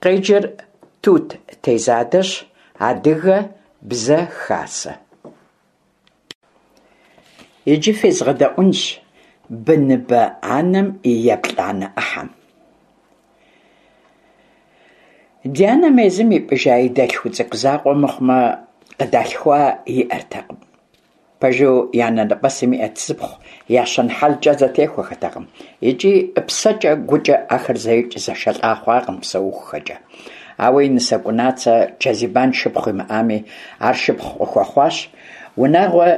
Къеджэр Тут Тезадэщ, Адыгэ бзэ хасэ. Иджы фезгъэдэӏунщ быныбэ анэм и еплӏанэ ӏыхьэм. Ди анэм езым ипӏыжа и дэлъху цӏыкӏу закъуэ мыхъумэ, къыдалъхуа иӏэртэкъым. Пэжу, и анэнэпӏэсым иӏэт зыпхъу, я щэн-хьэлкӏэ зэтехуэхэтэкъым икӏи псэкӏэ, гукӏэ ахэр зэикӏ зэшэлӏа хъуакъым псэухухэкӏэ. Ауэ и нысэ Кӏунацэ Чэзибан шыпхъу имыӏами, ар шыпхъу къыхуэхъуащ. Унагъуэ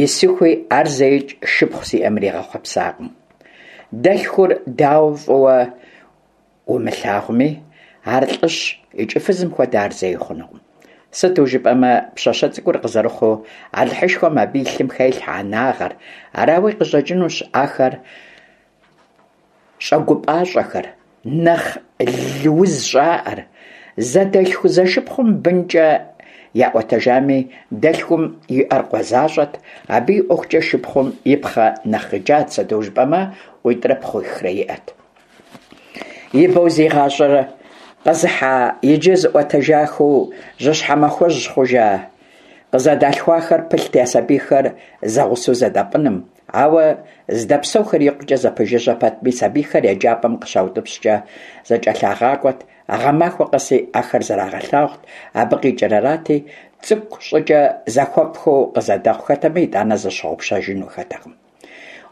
исыхуи ар зэикӏ шыпхъу сиӏэм иригъэхъуэпсакъым. Дэлъхур дауэ фӏыуэ умылъагъуми, ар лӏыщ икӏи фызым хуэдэ ар зэи хъунукъым. Сыту жыпӏэмэ, пщащэ цӏыкӏур къызэрыхъуу, Алыхьышхуэм абы и лъым хелъхьэ анагъэр, арауи къыщӏэкӏынущ ахэр щӏэгупӏащӏэхэр, нэхъ лыуз щӏаӏэр. Зэдэлъху-зэшыпхъум бынкӏэ яӏуэтэжами, дэлъхум иӏэр къуэ защӏэт, абы и ӏуэхукӏэ шыпхъум и пхъэ нэхъ къикӏат, сыту жыпӏэмэ, къуитӏрэ пхъуихрэ иӏэт. Ибэу зи гъащӏэр къэзыхьа, иджы зыӏуэтэжахэу жьыщхьэмахуэжь хъужа къызэдалъхуахэр пылът я сабийхэр зэгъусэу зэдапӏыным, ауэ здэпсэухэр икъукӏэ зэпэжыжьэ пэтми, сабийхэр еджапӏэм къыщаутӏыпщкӏэ зэкӏэлъагъакӏуэт, гъэмахуэ къэси ахэр зэрагъэлъагъут, абы къикӏыр арати, цӏыкӏу щӏыкӏэ зэхуэфӏхэу къызэдэхъухэтэмэ, итӏанэ зэщыгъупщэжынухэтэкъым.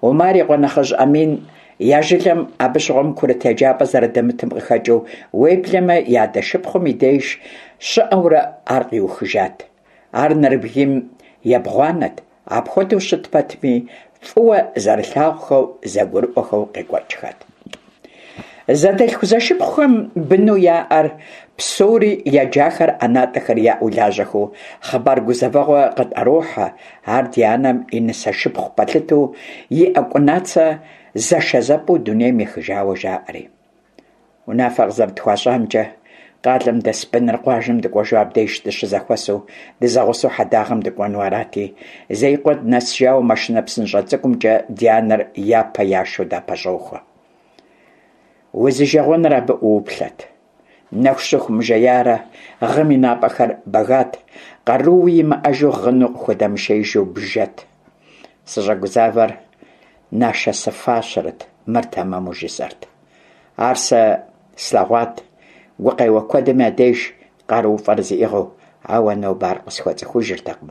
Умар и къуэ нэхъыжь Амин я жылэм абы щыгъуэм курыт еджапӏэ зэрыдэмытым къыхэкӏыу, уеблэмэ и адэ шыпхъум и деж щыӏэурэ ар къиухыжат. Ар нэрыбгийм ебгъуанэт, апхуэдэу щыт пэтми, фӏыуэ зэрылъагъухэу, зэгурыӏуэхэу къекӏуэкӏхэт. Зэдэлъху-зэшыпхъухэм быну яӏэр псори еджахэр ӏэнатӏэхэр яӏэу лажьэхэу хъыбар гузэвэгъуэ къытӏэрохьэ, ар ди анэм и нысэ шыпхъу пэлъытэу иӏэ Кӏунацэ зэшэзэпӏэу дунейм ехыжауэ жаӏэри. Унафэ къызэрытхуащӏамкӏэ, къалэм дэс быныр къуажэм дыкӏуэжу абдеж дыщызэхуэсу, дызэгъусэу хьэдагъэм дыкӏуэну арати, Зеикъуэ дынэсыжауэ машинэ псынщӏэ цӏыкӏумкӏэ ди анэр япэ яшэу дапэщӏохуэ. Узижэгъуэныр абы ӏууплъэт. Нэху щыху мыжеярэ, гъым и напӏэхэр бэгат, къарууи имыӏэжу гъыну къыхудэмышеижу бжэт. Сыщӏэгузавэр нашэсыфащэрэт, мыр тэмэму жысӏэрт. Ар сэ слъэгъуат, гукъеуэ куэдым я деж къарууфӏэр зиӏыгъыу, ауэ нобэ ар къысхуэцӏыхужыртэкъым.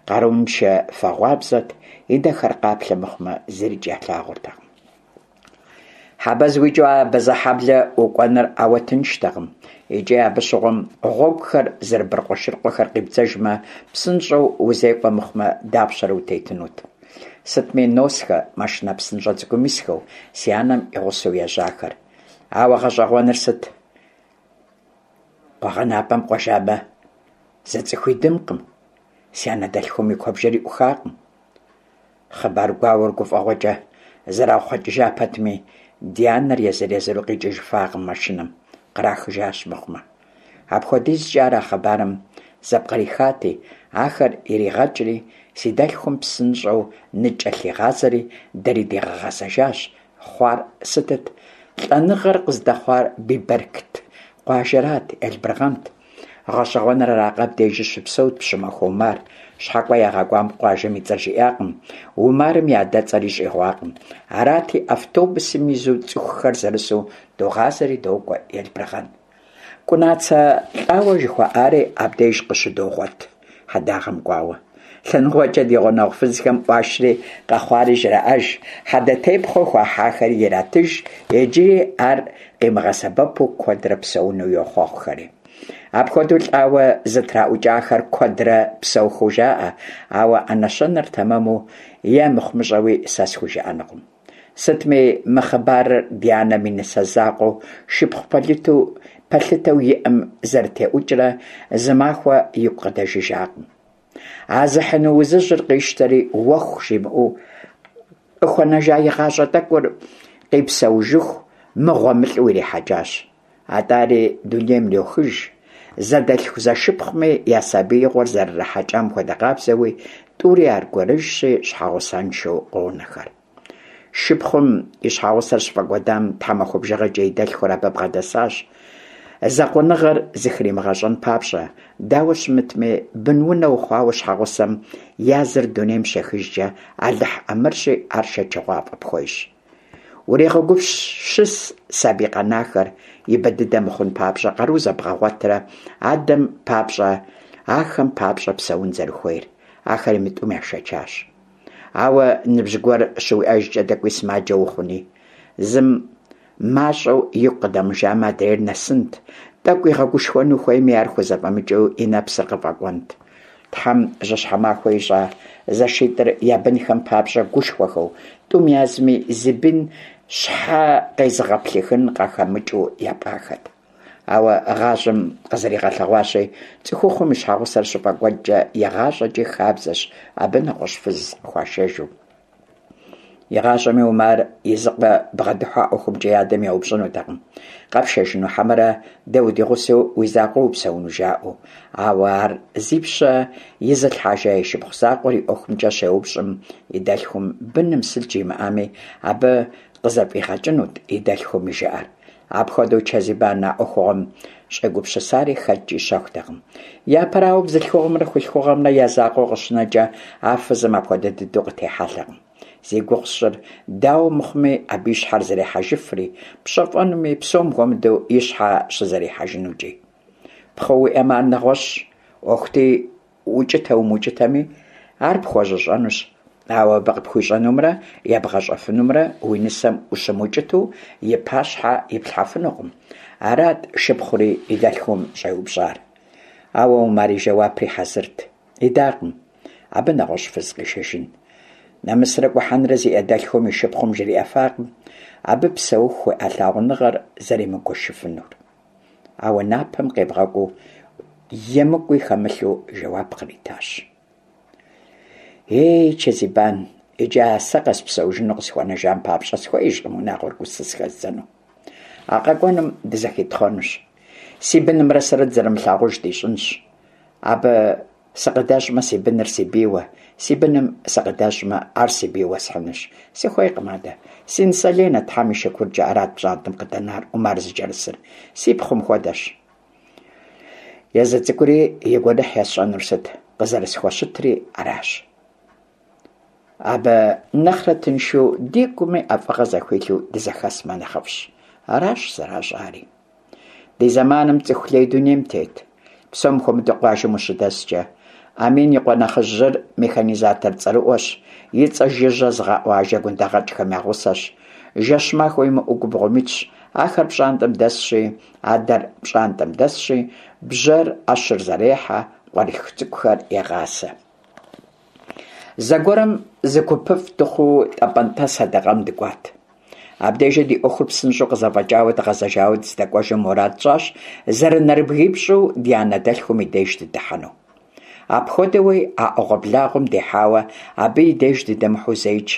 Къарууншэ фэгъуабзэт, и нэхэр къаплъэ мыхъумэ, зырикӏ ялъагъуртэкъым. Хьэбэз уикӏыу Абазэхьэблэ укӏуэныр ауэ тынштэкъым. Икӏи абы щыгъуэм гъуэгухэр зэрыбыркъуэшыркъуэхэр къибдзэжмэ, псынщӏэу узекӏуэ мыхъумэ, дапщэрэ утетынут. Сытми носхэ машинэ псынщӏэ цӏыкӏум исхэу, си анэм и гъусэу ежьахэр. Ауэ гъэщӏэгъуэныр сыт? Къуэгъэнапӏэм кӏуэжамэ, зы цӏыхуи дымкъым, си анэ дэлъхум и куэбжэри ӏухакъым. Хъыбар гуауэр гуфӏэгъуэкӏэ зэрахъуэкӏыжа пэтми, ди анэр езыр-езыру къикӏыжыфакъым машинэм, кърахыжащ мыхъумэ. Апхуэдизкӏэ ар а хъыбарым зэпкърихати, ахэр иригъэкӏри, си дэлъхум псынщӏэу ныкӏэлъигъазэри, дэри дигъэгъэзэжащ. Хъуар сытыт? Лӏэныгъэр къыздэхъуар Бибэркт къуажэрат, Елбыргъэнт. Гъэщӏэгъуэныр аракъэ, абдежи щыпсэут Пщымахуэ Умар. Щхьэкӏуэ ягъэкӏуам къуажэм и цӏэр жиӏакъым, Умарым и адэцӏэри щӏигъуакъым. Арати, автобусым изу цӏыхухэр зэрысу догъазэри докӏуэ Елбыргъэн. Кӏунацэ лӏауэ жыхуаӏари абдеж къыщыдогъуэт, хьэдагъэм кӏуауэ. Лъэныкъуэкӏэ ди гъунэгъу фызхэм ӏуашри къэхъуари жраӏэж, хьэдэтепхъуэ хуахьахэри иратыж, иджыри ар къимыгъэсэбэпу куэдрэ псэуну йохъуэхъухэри. Апхуэдэу лӏауэ зытраӏукӏахэр куэдрэ псэухэу жаӏэ, ауэ а нэщэнэр тэмэму е мыхъумыщӏэуи сэ схужыӏэнукъым. Сытми, мы хъыбарыр ди анэм и нысэ закъуэу шыпхъу пэлъытэу иӏэм зэрытеӏукӏрэ зы махуэ игу къыдэжыжакъым. А зыхьыну узыжьыр къищтэри, уэху жимыӏэу, къыхуэнэжа и гъащӏэ тӏэкӏур къипсэужыху мыгъуэмылӏэу ирихьэкӏащ. Атӏэ ари дунейм йохыж, зэдэлъху-зэшыпхъуми я сабиигъуэр зэрырахьэкӏам хуэдэ къабзэуи, тӏури аргуэрыжьщи, щхьэгъусэншэу къонэхэр. Шыпхъум и щхьэгъусэр щыфӏэкӏуэдам тхьэмахуэ бжыгъэкӏэ и дэлъхур абы бгъэдэсащ. Закъуэныгъэр зыхримыгъэщӏэн папщӏэ, дауэ щымытми, бынунэ ухъуауэ щхьэгъусэм я зыр дунейм щехыжкӏэ, Алыхь ӏэмырщи, ар шэчыгъуафӏэ пхуещӏ. Урегъэгупсыс сабий къэнахэр ибэ дыдэ мыхъун папщӏэ къару зэбгъэгъуэтрэ адэм папщӏэ, ахэм папщӏэ псэун зэрыхуейр. Ахэри мы тӏум яшэчащ. Ауэ ныбжь гуэр щыуиӏэжкӏэ тӏэкӏуи сымаджэ ухъуни. Зым мащӏэу игу къыдэмыжамэ, адрейр нэсынт, тӏэкӏу игъэгушхуэну хуейми, ар хузэфӏэмыкӏыу и нэпсыр къыфӏэкӏуэнт. Тхьэм жьыщхьэ махуэ ищӏа зэшитӏыр я бынхэм папщӏэ гушхуэхэу, тӏум язми зы бын щхьэ къезыгъэплъыхын къахэмыкӏыу япӏахэт. Ауэ гъащӏэм къызэригъэлъэгъуащи, цӏыхухъум и щхьэгъусэр щыфӏэкӏуэдкӏэ игъащӏэкӏи хабзэщ абы нэгъуэщӏ фыз къыхуашэжу. Игъащӏэми Умар и зы къуэ бгъэдыхьэу а ӏуэхумкӏэ и адэм еупщӏынутэкъым, къэпшэжыну хьэмэрэ дэ удигъусэу уи закъуэ упсэуну жаӏэу. Ауэ ар зи пщэ изылъхьэжа и шыпхъу закъуэр и ӏуэхумкӏэ щеупщӏым, и дэлъхум быным сыт жимыӏами, абы къызэфӏигъэкӏынут и дэлъхум и жыӏэр. Апхуэдэу Чэзибан а ӏуэхугъуэм щӏегупсысари хэткӏи щэхутэкъым. Япэрауэ, бзылъхугъэмрэ хулъхугъэмрэ я закъуэу къыщынэкӏэ, а фызым апхуэдэ дыдэу къытехьэлъэкъым. Зи гугъу сщӏыр, дауэ мыхъуми, абы и щхьэр зэрехьэжыфри, пщэфӏэнуми, псом хуэмыдэу и щхьэ щызэрихьэжынукӏи. Пхъу уиӏэмэ, ар нэгъуэщӏ ӏуэхути, Укӏытэ-умыукӏытэми, ар пхуэжьыщӏэнущ, ауэ абы къыпхуищӏэнумрэ ебгъэщӏэфынумрэ уи нысэм ущымыукӏыту и пащхьэ иплъхьэфынукъым. Арат шыпхъури и дэлъхум щӏеупщӏар. Ауэ Умар и жэуапри хьэзырт. Идакъым абы нэгъуэщӏ фыз къишэжын. Нэмысрэ гухьэнрэ зиӏэ дэлъхум и шыпхъум жриӏэфакъым абы псэуху хуиӏэ лъагъуныгъэр зэримыгуэшыфынур. Ауэ напэм къебгъэкӏуу, емыкӏуи хэмылъу жэуап къритащ. Ей, Чэзибан, иджы а сэ къэспсэужыну къысхуэнэжам папщӏэ сыхуеижкъым унагъуэр гусыс хэздзэну. А къэкӏуэнум дызэхитхъуэнущ. Си бынымрэ сэрэ дызэрымылъагъуж дищӏынщ. Абы Сыкъыдэщӏмэ, си быныр си бийуэ, си быным сыкъыдэщӏмэ, ар си бийуэ схьынущ. Сыхуейкъым адэ. Си нысэ Ленэ, Тхьэм и шыкуркӏэ, арат пщӏантӏэм къыдэнар, Умар зыкӏэрысыр. Си пхъум хуэдэщ. Езы цӏыкӏури и гуэныхь есщӏэнур сыт, къызэрысхуэщытри аращ. Абы нэхърэ тыншу дигуми ӏэфӏыгъэ зэхуилъу дызэхэсмэ нэхъыфӏщ. Аращ зэращӏари. Ди зэманым цӏыху лей дунейм тет, псом хуэмыдэу къуажэм ущыдэскӏэ. Амин и къуэ нэхъыжьыр механизатор цӏэрыӏуэщ, и цӏэ жыжьэ зыгъэӏуа жэгундэгъэкӏхэм я гъусэщ. Жэщ-махуэ имыӏэу губгъуэм итщ, ахэр пщӏантӏэм дэсщи, адэр пщӏантӏэм дэсщи, бжьэр, ӏэщыр зэрехьэ, къуэрылъху цӏыкӏухэр егъасэ. Зэгуэрым зы гупыфӏ дыхъуу Тӏэпӏэнтӏэ сэдэкъэм дыкӏуат. Абдежи ди ӏуэхур псынщӏэу къызэфӏэкӏауэ дгъэзэжауэ дыздэкӏуэжым мурад тщӏащ зэрынэрыбгипщӏу ди анэ дэлъхум и деж дыдыхьэну. Апхуэдэуи а ӏэгъуэблагъуэм дихьауэ абы и деж дыдэмыхьэу зэикӏ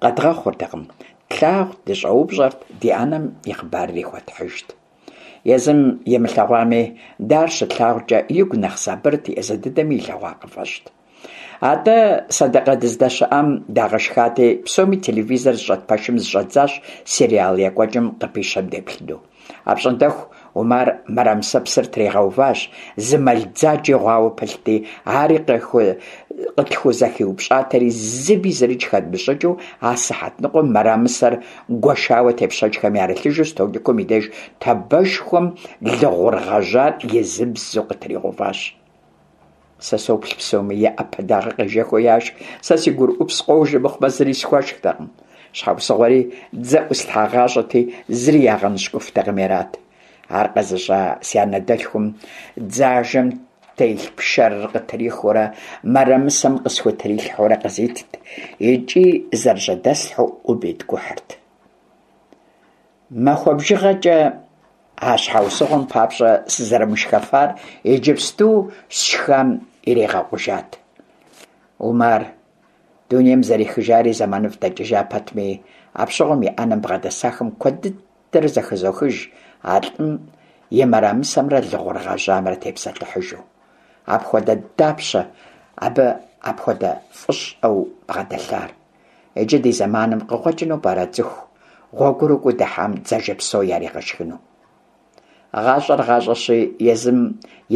къэдгъэхъуртэкъым, тлъагъут, дыщӏэупщӏэрт, ди анэм и хъыбарри хуэтхьыжт. Езым имылъэгъуами, дэ ар щытлъагъукӏэ игу нэхъ сабырт, езы дыдэми илъэгъуа къыфӏэщӏт. Атӏэ, сэдэкъэ дыздэщыӏам дагъэшхати, псоми телевизор зыщӏэт пэшым зыщӏэддзащ сериал екӏуэкӏым къыпищэм деплъыну. Апщӏондэху Умар мырамысэпсыр тригъэуващ, зы мэл дзаджи гъуауэ пылъти, ари къытхузэхиупщӏатэри, зыми зырикӏ хэдмыщӏыкӏыу, а сыхьэт ныкъуэм мырамысэр гуэшауэ тепщэчхэм ярылъыжу столикым и деж табэшхуэм лы гъур гъэжьар изыбзэу къытригъэуващ. Сэ соплъ псоми я ӏэпэ дагъэ къежэхыу яшх, сэ си гурыӏупс къожэ мыхъумэ зыри схуэшхтэкъым. Щхьэусыгъуэри дзэ ӏуслъхьагъащӏэти, зыри ягъэныщкӏуфтэкъыми арат. Ар къэзыщӏа си анэ дэлъхум дзажэм телъ пшэрыр къытрихыурэ мырамысэм къысхутрилъхьэурэ къызитт икӏи зэрыжьэдэслъхьэу ӏум иткӏухьырт. Махуэ бжыгъэкӏэ а щхьэусыгъуэм папщӏэ сызэрымышхэфар иджыпсту сшхам иригъэкъужат. Умар дунейм зэрехыжари зэманыфӏ дэкӏыжа пэтми, апщыгъуэм и ӏэнэм бгъэдэсахэм куэд дыдэрэ зэхызохыж а лӏым и мырамысэмрэ лы гъур гъэжьамрэ тепсэлъыхьыжу. Апхуэдэ дапщэ абы апхуэдэ фӏыщӏэу бгъэдэлъар? Иджы ди зэманым къыкъуэкӏыну пӏэрэ цӏыху гъуэгурыкӏуэу дыхьам дзажэ псо яригъэшхыну? Гъащӏэр гъащӏэщи, езым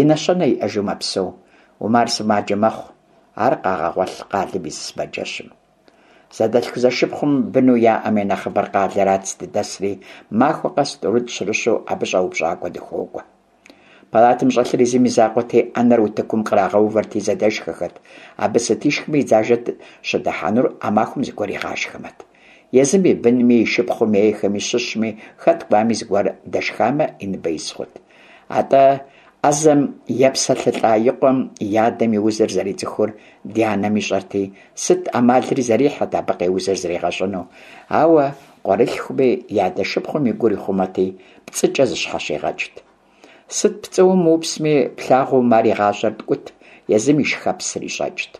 и нэщэнэ иӏэжу мэпсэу. Умар сымаджэ мэхъу. Ар къагъэгъуэлъ къалэм и зы сымаджэщым. Зэдэлъху-зэшыпхъум быну яӏэм я нэхъыбэр къалэрат здыдэсри, махуэ къэс тӏурытӏ-щырыщу абы щӏэупщӏакӏуэ дыхуокӏуэ. Палатэм щӏэлъыр езым и закъуэти, ӏэнэр утыкум кърагъэувэрти зэдэшхэхэт. Абы сыт ишхми и дзажэ щыдыхьэнур а махуэм зыгуэр игъашхэмэт. Езым и бынми, и шыпхъум ейхэми щыщми, хэт кӏуами зыгуэр дэшхамэ, и ныбэ из хъут. Атӏэ, ӏэзэм епсэлъылӏа и къуэм и адэм и узыр зэрицӏыхур ди анэм ищӏэрти, сыт ӏэмалри зэрихьэрт абы къеузыр зригъэщӏыну. Ауэ къуэрылъхуми и адэ шыпхъум и гур ихъумэти, пцӏыкӏэ зыщхьэщигъэкӏт. Сыт пцӏыуэ мыупсми, плъагъуу Умар и гъащӏэр ткӏут, езым и шхэпсыр ищӏэкӏт.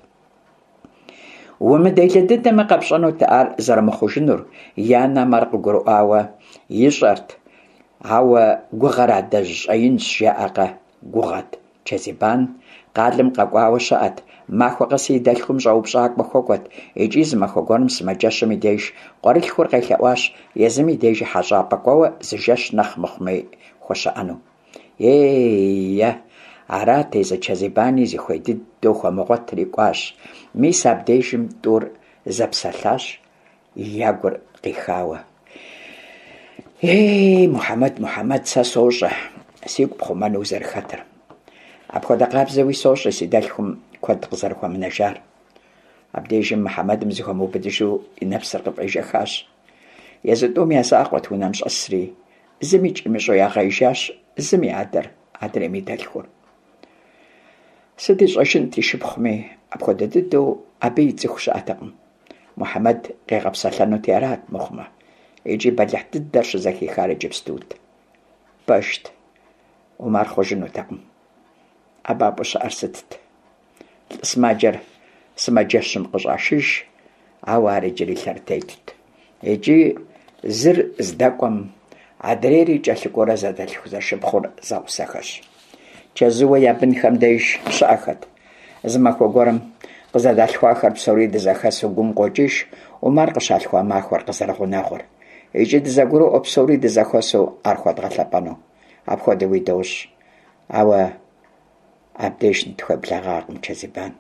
Умыделэ дыдэмэ, къэпщӏэнут ар зэрымыхъужынур, и анэм ар къыгурыӏуауэ ищӏэрт, ауэ гугъэр адэжь щӏэинщ, жаӏэкъэ, гугъэт. Чэзибан къалэм къэкӏуауэ щыӏэт, махуэ къэси и дэлъхум щӏэупщӏакӏуэ хуэкӏуэт икӏи зы махуэ гуэрым сымаджэщым и деж къуэрылъхур къелъэӏуащ езым и дежи хьэщӏапӏэ кӏуэуэ зы жэщ нэхъ мыхъуми хуэщыӏэну. Ей-е, арат езы Чэзибани зыхуей дыдэу хуэмыгъуэтри кӏуащ. Мис абдежым тӏур зэпсэлъащ, я гур къихауэ. Ей, Мухьэмэд, Мухьэмэд, сэ сощӏэ сигу пхъумэну узэрыхэтыр. Апхуэдэ къабзэуи сощӏэ си дэлъхум куэд къызэрыхуэмынэжар. Абдежым Мухьэмэдым зыхуэмыубыдыжу и нэпсыр къыфӏежэхащ. Езы тӏум я закъуэт унэм щӏэсри, зымикӏ имыщӏэу ягъеижащ зым и адэр, адрейм и дэлъхур. Сыт ищӏэжынт и шыпхъуми, апхуэдэ дыдэу абы ицӏыху щыӏэтэкъым. Мухьэмэд къигъэпсэлъэнути арат мыхъумэ, икӏи бэлыхь дыдэр щызэхихар иджыпстут. Пэжт, Умар хъужынутэкъым. ӏэбапӏэу щыӏэр сытт? Лӏы сымаджэр сымаджэщым къыщӏашыж, ауэ ар иджыри лъэрытетт. Икӏи зыр здэкӏуэм, адрейри кӏэлъыкӏуэурэ зэдэлъху-зэшыпхъур зэгъусэхэщ. Чэзууэ я бынхэм деж щыӏэхэт. Зы махуэ гуэрым къызэдалъхуахэр псори дызэхэсу гум къокӏыж Умар къыщалъхуа махуэр къызэрыгъунэгъур. Икӏи дызэгуроӏуэ псори дызэхуэсу ар хуэдгъэлъэпӏэну. Апхуэдэуи дощӏ. Ауэ абдеж нытхуеблэгъакъым Чэзибан.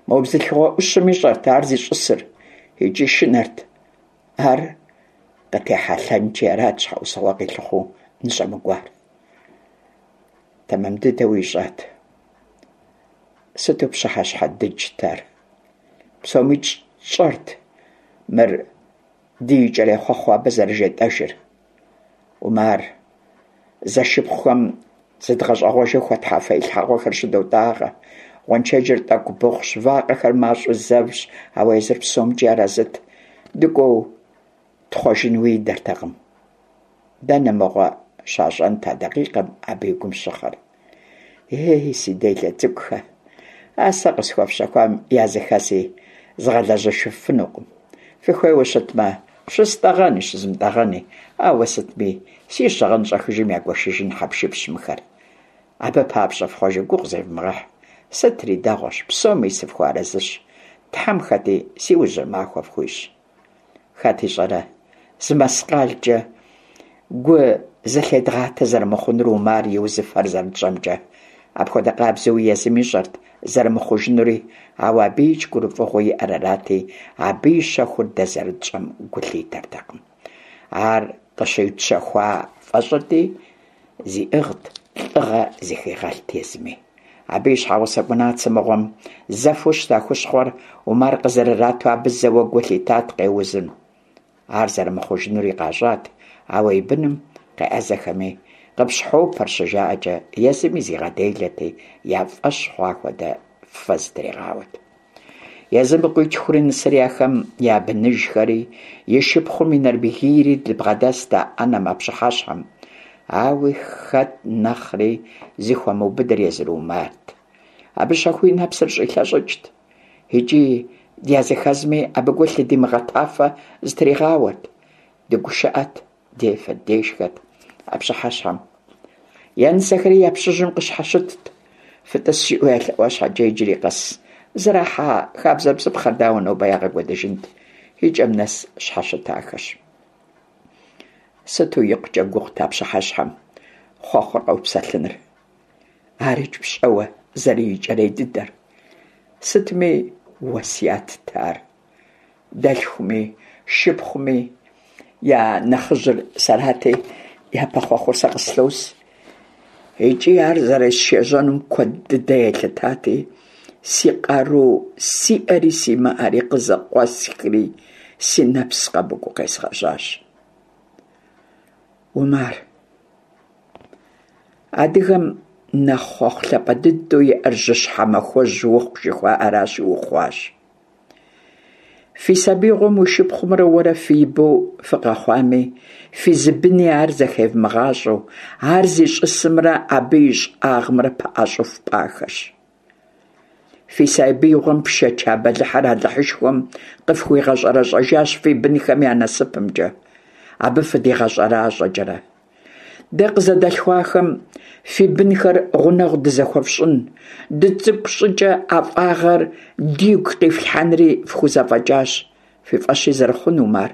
Мо бзылъхугъэ ӏущым ищӏэрт ар зищӏысыр икӏи шынэрт. Ар къытехьэлъэнкӏи арат щхьэусыгъуэ къилъыхъуэу ныщӏэмыкӏуар. Тэмэм дыдэуи ищӏат. Сыту пщыхьэщхьэ дыджт ар. Псомикӏ тщӏэрт мыр ди икӏэрей хъуэхъуу абы зэрыжетӏэжыр. Умар, зэшыпхъухэм зыдгъэщӏэгъуэжу хуэтхьа фэилъхьэгъуэхэр щыдотӏагъэ. Гъуэншэджыр тӏэкӏу быхъущ, вакъэхэр мащӏэу зэвщ, ауэ езыр псомкӏи арэзыт. Дыкӏуэу тхъуэжынуи идэртэкъым. Дэнэ мыгъуэ щащӏэнт а дакъикъэм абы и гум щыхъэр? Ей, си делэ цӏыкӏухэ, а сэ къысхуэфщэхуам языхэзи згъэлэжьыфынукъым. Фыхуейуэ щытмэ, щыстӏэгъэни, щызмытӏэгъэни, ауэ сытми, си щыгъын щӏэхыжым ягуэшыжын хьэпшыпщ мыхэр. Абы папщӏэ фхъуэжу гугъу зевмыгъэхь. Сытри дэгъуэщ, псоми сыфхуэарэзыщ. Тхьэм хэти си ужьыр махуэ фхуищӏ. Хэт ищӏэрэ, зы мэскъалкӏэ гу зылъедгъатэ зэрымыхъунур Умар и узыфэр зэрытщӏэмкӏэ. Апхуэдэ къабзэуи езым ищӏэрт зэрымыхъужынури, ауэ абыикӏ гурыфӏыгъуэу иӏэр арати, абы и щэхур дэ зэрытщӏэм гу лъитэртэкъым. Ар къыщытщэхуа фӏэщӏырти, зиӏыгът, лӏыгъэ зыхигъэлът езыми. Абы и щхьэгъусэ Кӏунацэ мыгъуэм зэфэу щыта хущхъуэр Умар къызэрырату абы зэуэ гу лъитат къеузым. Ар зэрымыхъужынури къащӏат, ауэ и быным къеӏэзэхэми, къыпщхьопэр щыжаӏэкӏэ, езыми зигъэделэти, я фӏэщ хъуа хуэдэ фэ зытригъауэт. Езым и къуитхури нысэри ахэм я быныжхэри, и шыпхъум и нэрыбгийри дыбгъэдэст а ӏэнэм а пщыхьэщхьэм. Ауи хэт нэхъри зыхуэмыубыдыр езыр Умарт. Абы щэхуу и нэпсыр щӏилъэщӏыкӏт. Икӏи дязыхэзми абы гу лъыдимыгъэтафэ зытригъауэрт. Дыгушыӏэт, дефэт, дешхэт а пщыхьэщхьэм. Я нысэхэри я пщыжьым къыщхьэщытт. Фытӏыс жиӏэу ялъэӏуа щхьэкӏэ иджыри къэс зэрахьа хабзэ-бзыпхъэр дауэ нобэ ягъэкӏуэдыжынт? И кӏэм нэс щхьэщытахэщ. Сыту икъукӏэ гугъут а пщыхьэщхьэм. хъуэхъур къэупсэлъыныр. Арикӏ пщӏэуэ зэрыикӏэрей дыдэр. Сытми уэсятт ар. Дэлъхуми, шыпхъуми я нэхъыжьыр сэрати, япэ хъуэхъур сэ къыслъос. Икӏи ар зэресшэжьэнум куэд дыдэ елъытати, си къару сиӏэри симыӏэри къызэкъуэсхри, си нэпс къэмыкӏуэу къезгъэжьащ. Умар. Адыгэм нэхъ хъуэхъу лъапӏэ дыдэу иӏэр жьыщхьэ махуэжь ухъу жыхуаӏэращи, ухъуащ. Фи сабийгъуэм уи шыпхъумрэ уэрэ фи ибэу фыкъэхъуами, фи зы быни ар зэхевмыгъащӏэу, ар зищӏысымрэ абы и щӏагъымрэ пэӏэщӏэу фпӏахэщ. Фи сабиигъуэм фшэча бэлыхьыр Алыхьышхуэм къыфхуигъэщӏэрэщӏэжащ фи бынхэм я насыпымкӏэ, абы фыдигъэщӏэращӏэкӏэрэ. Дэ къызэдалъхуахэм фи бынхэр гъунэгъу дызэхуэфщӏын, дыцӏыкӏу щӏыкӏэ ӏэфӏагъэр дигу къифлъхьэнри фхузэфӏэкӏащ, фи фӏэщи зэрыхъун, Умар.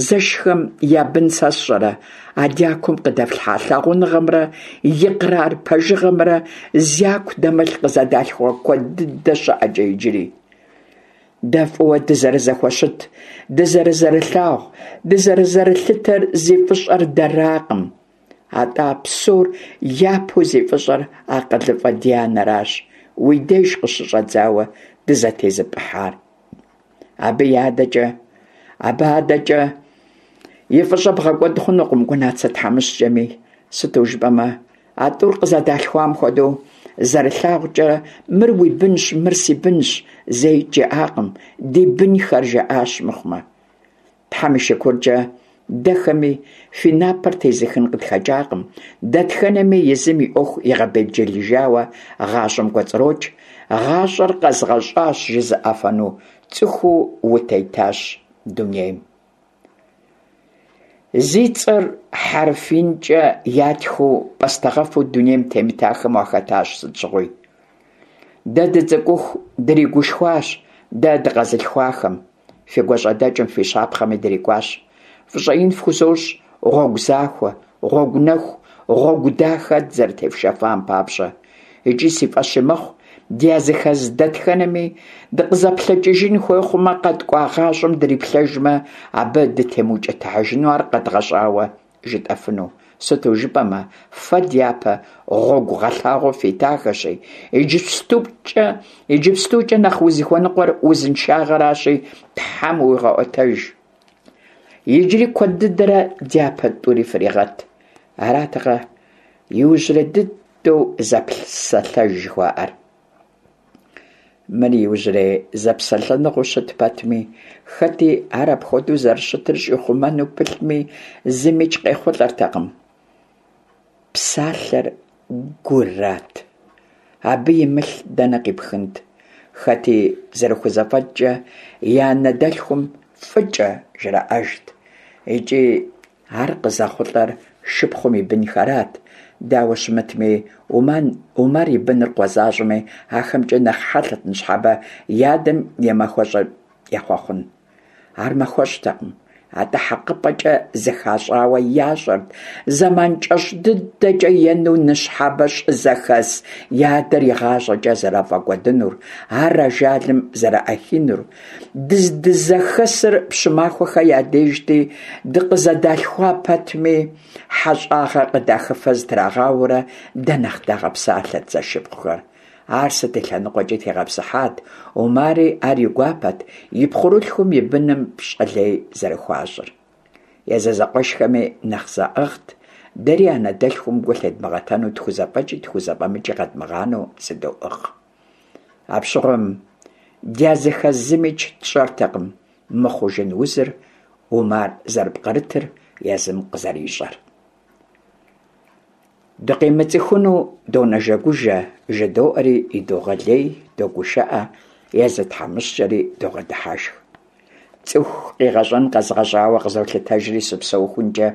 Зэшхэм я бын сэ сщӏэрэ, а дякум къыдэфлъхьа лъагъуныгъэмрэ икърар пэжыгъэмрэ зяку дэмылъ къызэдалъхуа куэд дыдэ щыӏэкӏэ иджыри. Дэ фӏыуэ дызэрызэхуэщыт, дызэрызэрылъагъу, дызэрызэрылъытэр зи фӏыщӏэр дэракъым. Атӏэ а псор япэу зи фӏыщӏэр акъылыфӏэ ди анэращ, уи деж къыщыщӏэдзауэ дызэтезыпӏыхьар. Абы и адэкӏэ, абы адэкӏэ и фӏыщӏэ бгъэкӏуэд хъунукъым Гунацэ тхьэмыщкӏэми, сыту жыпӏэмэ, а тӏур къызэдалъхуам хуэдэу зэрылъагъукӏэ мыр уи бынщ, мыр си бынщ зэикӏ жаӏакъым, ди бынхэр жаӏащ мыхъумэ. Тхьэм и шыкуркӏэ, дэхэми фи напэр тезыхын къытхэкӏакъым, дэтхэнэми езым и ӏуэху игъэбелджылыжауэ гъащӏэм кӏуэцӏрокӏ, гъащӏэр къэзгъэщӏащ жызыӏэфэну цӏыхуу утетащ дунейм. Зи цӏэр хьэрф инкӏэ ятхыу пӏастэгъэфу дунейм темытахэм уахэтащ сыт щыгъуи. Дэ дыцӏыкӏуху дригушхуащ дэ дыкъэзылъхуахэм. Фи гуащӏэдэкӏым, фи щапхъэми дрикӏуащ. Фӏыщӏэ ин фхузощӏ гъуэгу захуэ, гъуэгу нэху, гъуэгу дахэ дызэрытефшэфам папщӏэ. Икӏи си фӏэщи мэхъу, дязыхэз дэтхэнэми дыкъызэплъэкӏыжын хуей хъумэ, къэткӏуа гъащӏэм дриплъэжмэ, абы дытемыукӏытыхьыжыну ар къэдгъэщӏауэ жытӏэфыну. Сыту жыпӏэмэ, фэ дяпэ гъуэгу гъэлъагъуэ фитахэщи, иджыпстукӏэ, иджыпстукӏэ нэхъ узыхуэныкъуэр узыншагъэращи, Тхьэм уигъэӏуэтэж. Иджыри куэд дыдэрэ дяпэ тӏури фригъэт. Аратэкъэ иужьрей дыдэу зэпсэлъэж жыхуаӏэр. Мыр иужьрей зэпсэлъэныгъэу щыт пэтми, хэти ар апхуэдэу зэрыщытыр щӏихъумэну пылъми, зымикӏ къехъулӏэртэкъым. Псалъэр гурат. Абы имылъ дэнэ къипхынт? Хэти зэрыхузэфӏэкӏкӏэ и анэ дэлъхум фӏыкӏэ жраӏэжт. Икӏи Ар къызэхъулӏэр шыпхъум и бынхэрат. Дауэ щымытми, Уман, Умар и быныр къуэ защӏэми, ахэмкӏэ нэхъ хьэлъэт ныщхьэбэ и адэм и махуэщӏыр ехъуэхъун. Ар махуэщӏтэкъым, атӏэ хьэкъыпӏэкӏэ зыхащӏауэ ящӏэрт, зэман кӏэщӏ дыдэкӏэ ену ныщхьэбэ щӏызэхэс и адэр игъащӏэкӏэ зэрафӏэкӏуэдынур, ар ажалым зэраӏэхинур. Дыздызэхэсыр Пщымахуэхэ я дежти, дыкъызэдалъхуа пэтми, хьэщӏагъэ къыдахыфэ зытрагъауэрэ дэ нэхъ дагъэпсалъэт зэшыпхъухэр. Ар сыт и лъэныкъуэкӏи тегъэпсыхьат, Умари ар и гуапэт, и пхъурылъхум и быным пщӏэ лей зэрыхуащӏыр. Езы зэкъуэшхэми нэхъ заӏыгът, дэри анэ дэлъхум гу лъедмыгъэтэну тхузэфӏэкӏи тхузэфӏэмыкӏи къэдмыгъанэу зыдоӏыгъ. Апщыгъуэм дязыхэз зымикӏ тщӏэртэкъым мыхъужын узыр Умар зэрыпкърытыр езым къызэрищӏэр. Дыкъимыцӏыхуну донэжэгужэ, жыдоӏэри идогъэлей, догушыӏэ, езы тхьэмыщкӏэри догъэдыхьэшх. Цӏыху къигъэщӏэн къэзгъэщӏауэ къызолъытэжри сыпсэухункӏэ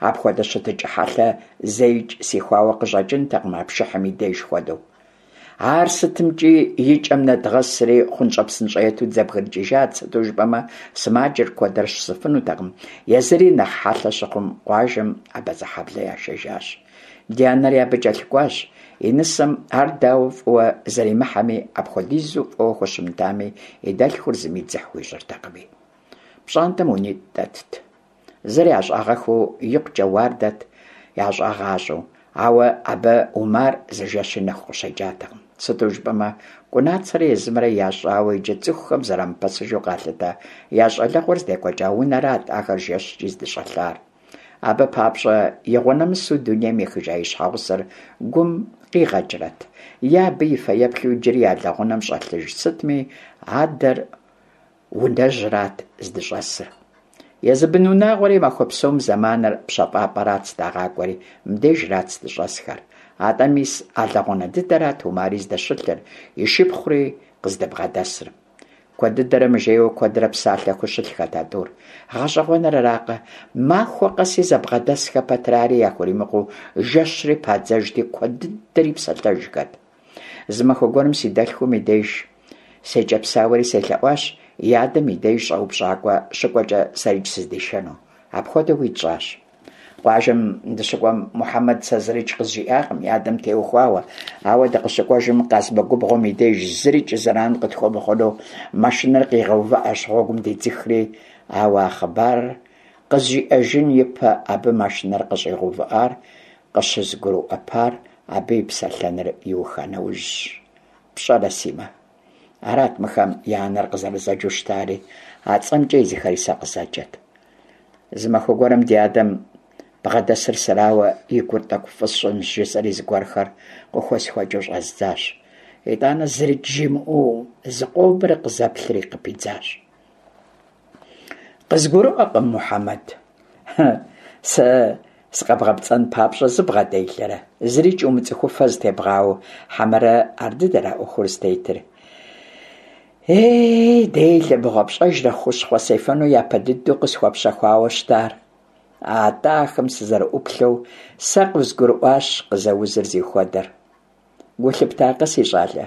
апхуэдэ щытыкӏэ хьэлъэ зэикӏ сихуауэ къыщӏэкӏынтэкъым а пшыхьым и деж хуэдэу. Ар сытымкӏи и кӏэм нэдгъэсри, хъунщӏэ-псынщӏэету дызэбгрыкӏыжат, сыту жыпӏэмэ, сымаджэр куэдрэ щысыфынутэкъым, езыри нэхъ хьэлъэ щыхъум къуажэм Абазэхьэблэ яшэжащ. Ди анэри абы кӏэлъыкӏуащ, и нысэм ар дауэ фӏыуэ зэримыхьэми, апхуэдизу фӏыуэ хущымытами, и дэлъхур зыми дзыхь хуищӏыртэкъыми. Пщӏантӏэм унитӏ дэтт. Зыр ящӏагъэххэу икъукӏэ уардэт, ящӏагъащӏэу, ауэ абы Умар зы жэщи нэху къыщекӏатэкъым. Сыту жыпӏэмэ, Кӏунацэрэ езымрэ ящӏауэ иджы цӏыхухэм зэрамыпэсыжу къалъытэ я щӏалэгъуэр здекӏуэкӏа унэрат ахэр жэщкӏи здыщӏэлъар. Абы папщӏэ игъуэ нэмысу дунейм ехыжа и щхьэгъусэр гум къигъэкӏрэт, е абы и фэеплъу иджыри я лэгъунэм щӏэлъыж сытми, адэр унэжьрат здыщӏэсыр. Езы бынунагъуэри махуэ псом зэманыр пщэфӏапӏэрат здагъакӏуэри, мыбдежрат здыщӏэсхэр. Атӏэ мис а лэгъунэ дыдэрат Умари здэщылъыр, и шыпхъури къыздыбгъэдэсыр. Куэд дыдэрэ мыжейуэ куэдрэ псалъэхэу щылъхэт а тӏур. Гъэщӏэгъуэныр аракъэ, махуэ къэси зэбгъэдэсхэ пэтрэ ари яхуримыкъуу жэщри падзэжти, куэд дыдэри псэлъэжхэт. Зы махуэ гуэрым си дэлъхум и деж секӏэпсауэри селъэӏуащ и адэм и деж щӏэупщӏакӏуэ щыкӏуэкӏэ сэрикӏ сыздишэну. Апхуэдэуи тщӏащ. Къуажэм дыщыкӏуэм Мухьэмэд сэ зырикӏ къызжиӏакъым и адэм теухуауэ, ауэ дыкъыщыкӏуэжым Къазмэ губгъуэм и деж зырикӏ зэран къытхуэмыхъуну машинэр къигъэувыӏэщ гъуэгум дедзыхри, ауэ а хъыбарыр къызжиӏэжын ипэ абы машинэр къыщӏигъэувыӏар къыщызгурыӏуэпар абы и псэлъэныр иуха нэужьщ. Пщӏэрэ, Симэ? Арат мыхэм я анэр къызэрызэджэу щытари, а цӏэмкӏэ езыхэри сэ къызэджэт. Зы махуэ гуэрым ди адэм бгъэдэсыр сэрауэ и гур тӏэкӏу фӏы сщӏынщ жысӏэри зыгуэрхэр къыхуесхуэкӏыу щӏэздзащ. Итӏанэ зырикӏ жимыӏэу зыкъомрэ къызэплъри къыпидзащ. Къызгурыӏуэкъым, Мухьэмэд. Сэ сыкъэбгъэпцӏэн папщӏэ зыбгъэделэрэ, зырикӏ умыцӏыхуфэ зытебгъауэу, хьэмэрэ ар дыдэра ӏуэхур зытетыр? Ей, делэ, мыгъуэ, пщӏэжрэ хущхъуэ сефэну япэ дыдэу къысхуэпщэхуауэ щытар? Атӏэ ахэм сызэрыӏуплъэу сэ къызгурыӏуащ къызэузыр зихуэдэр. Гу лъыптакъэ, си щӏалэ,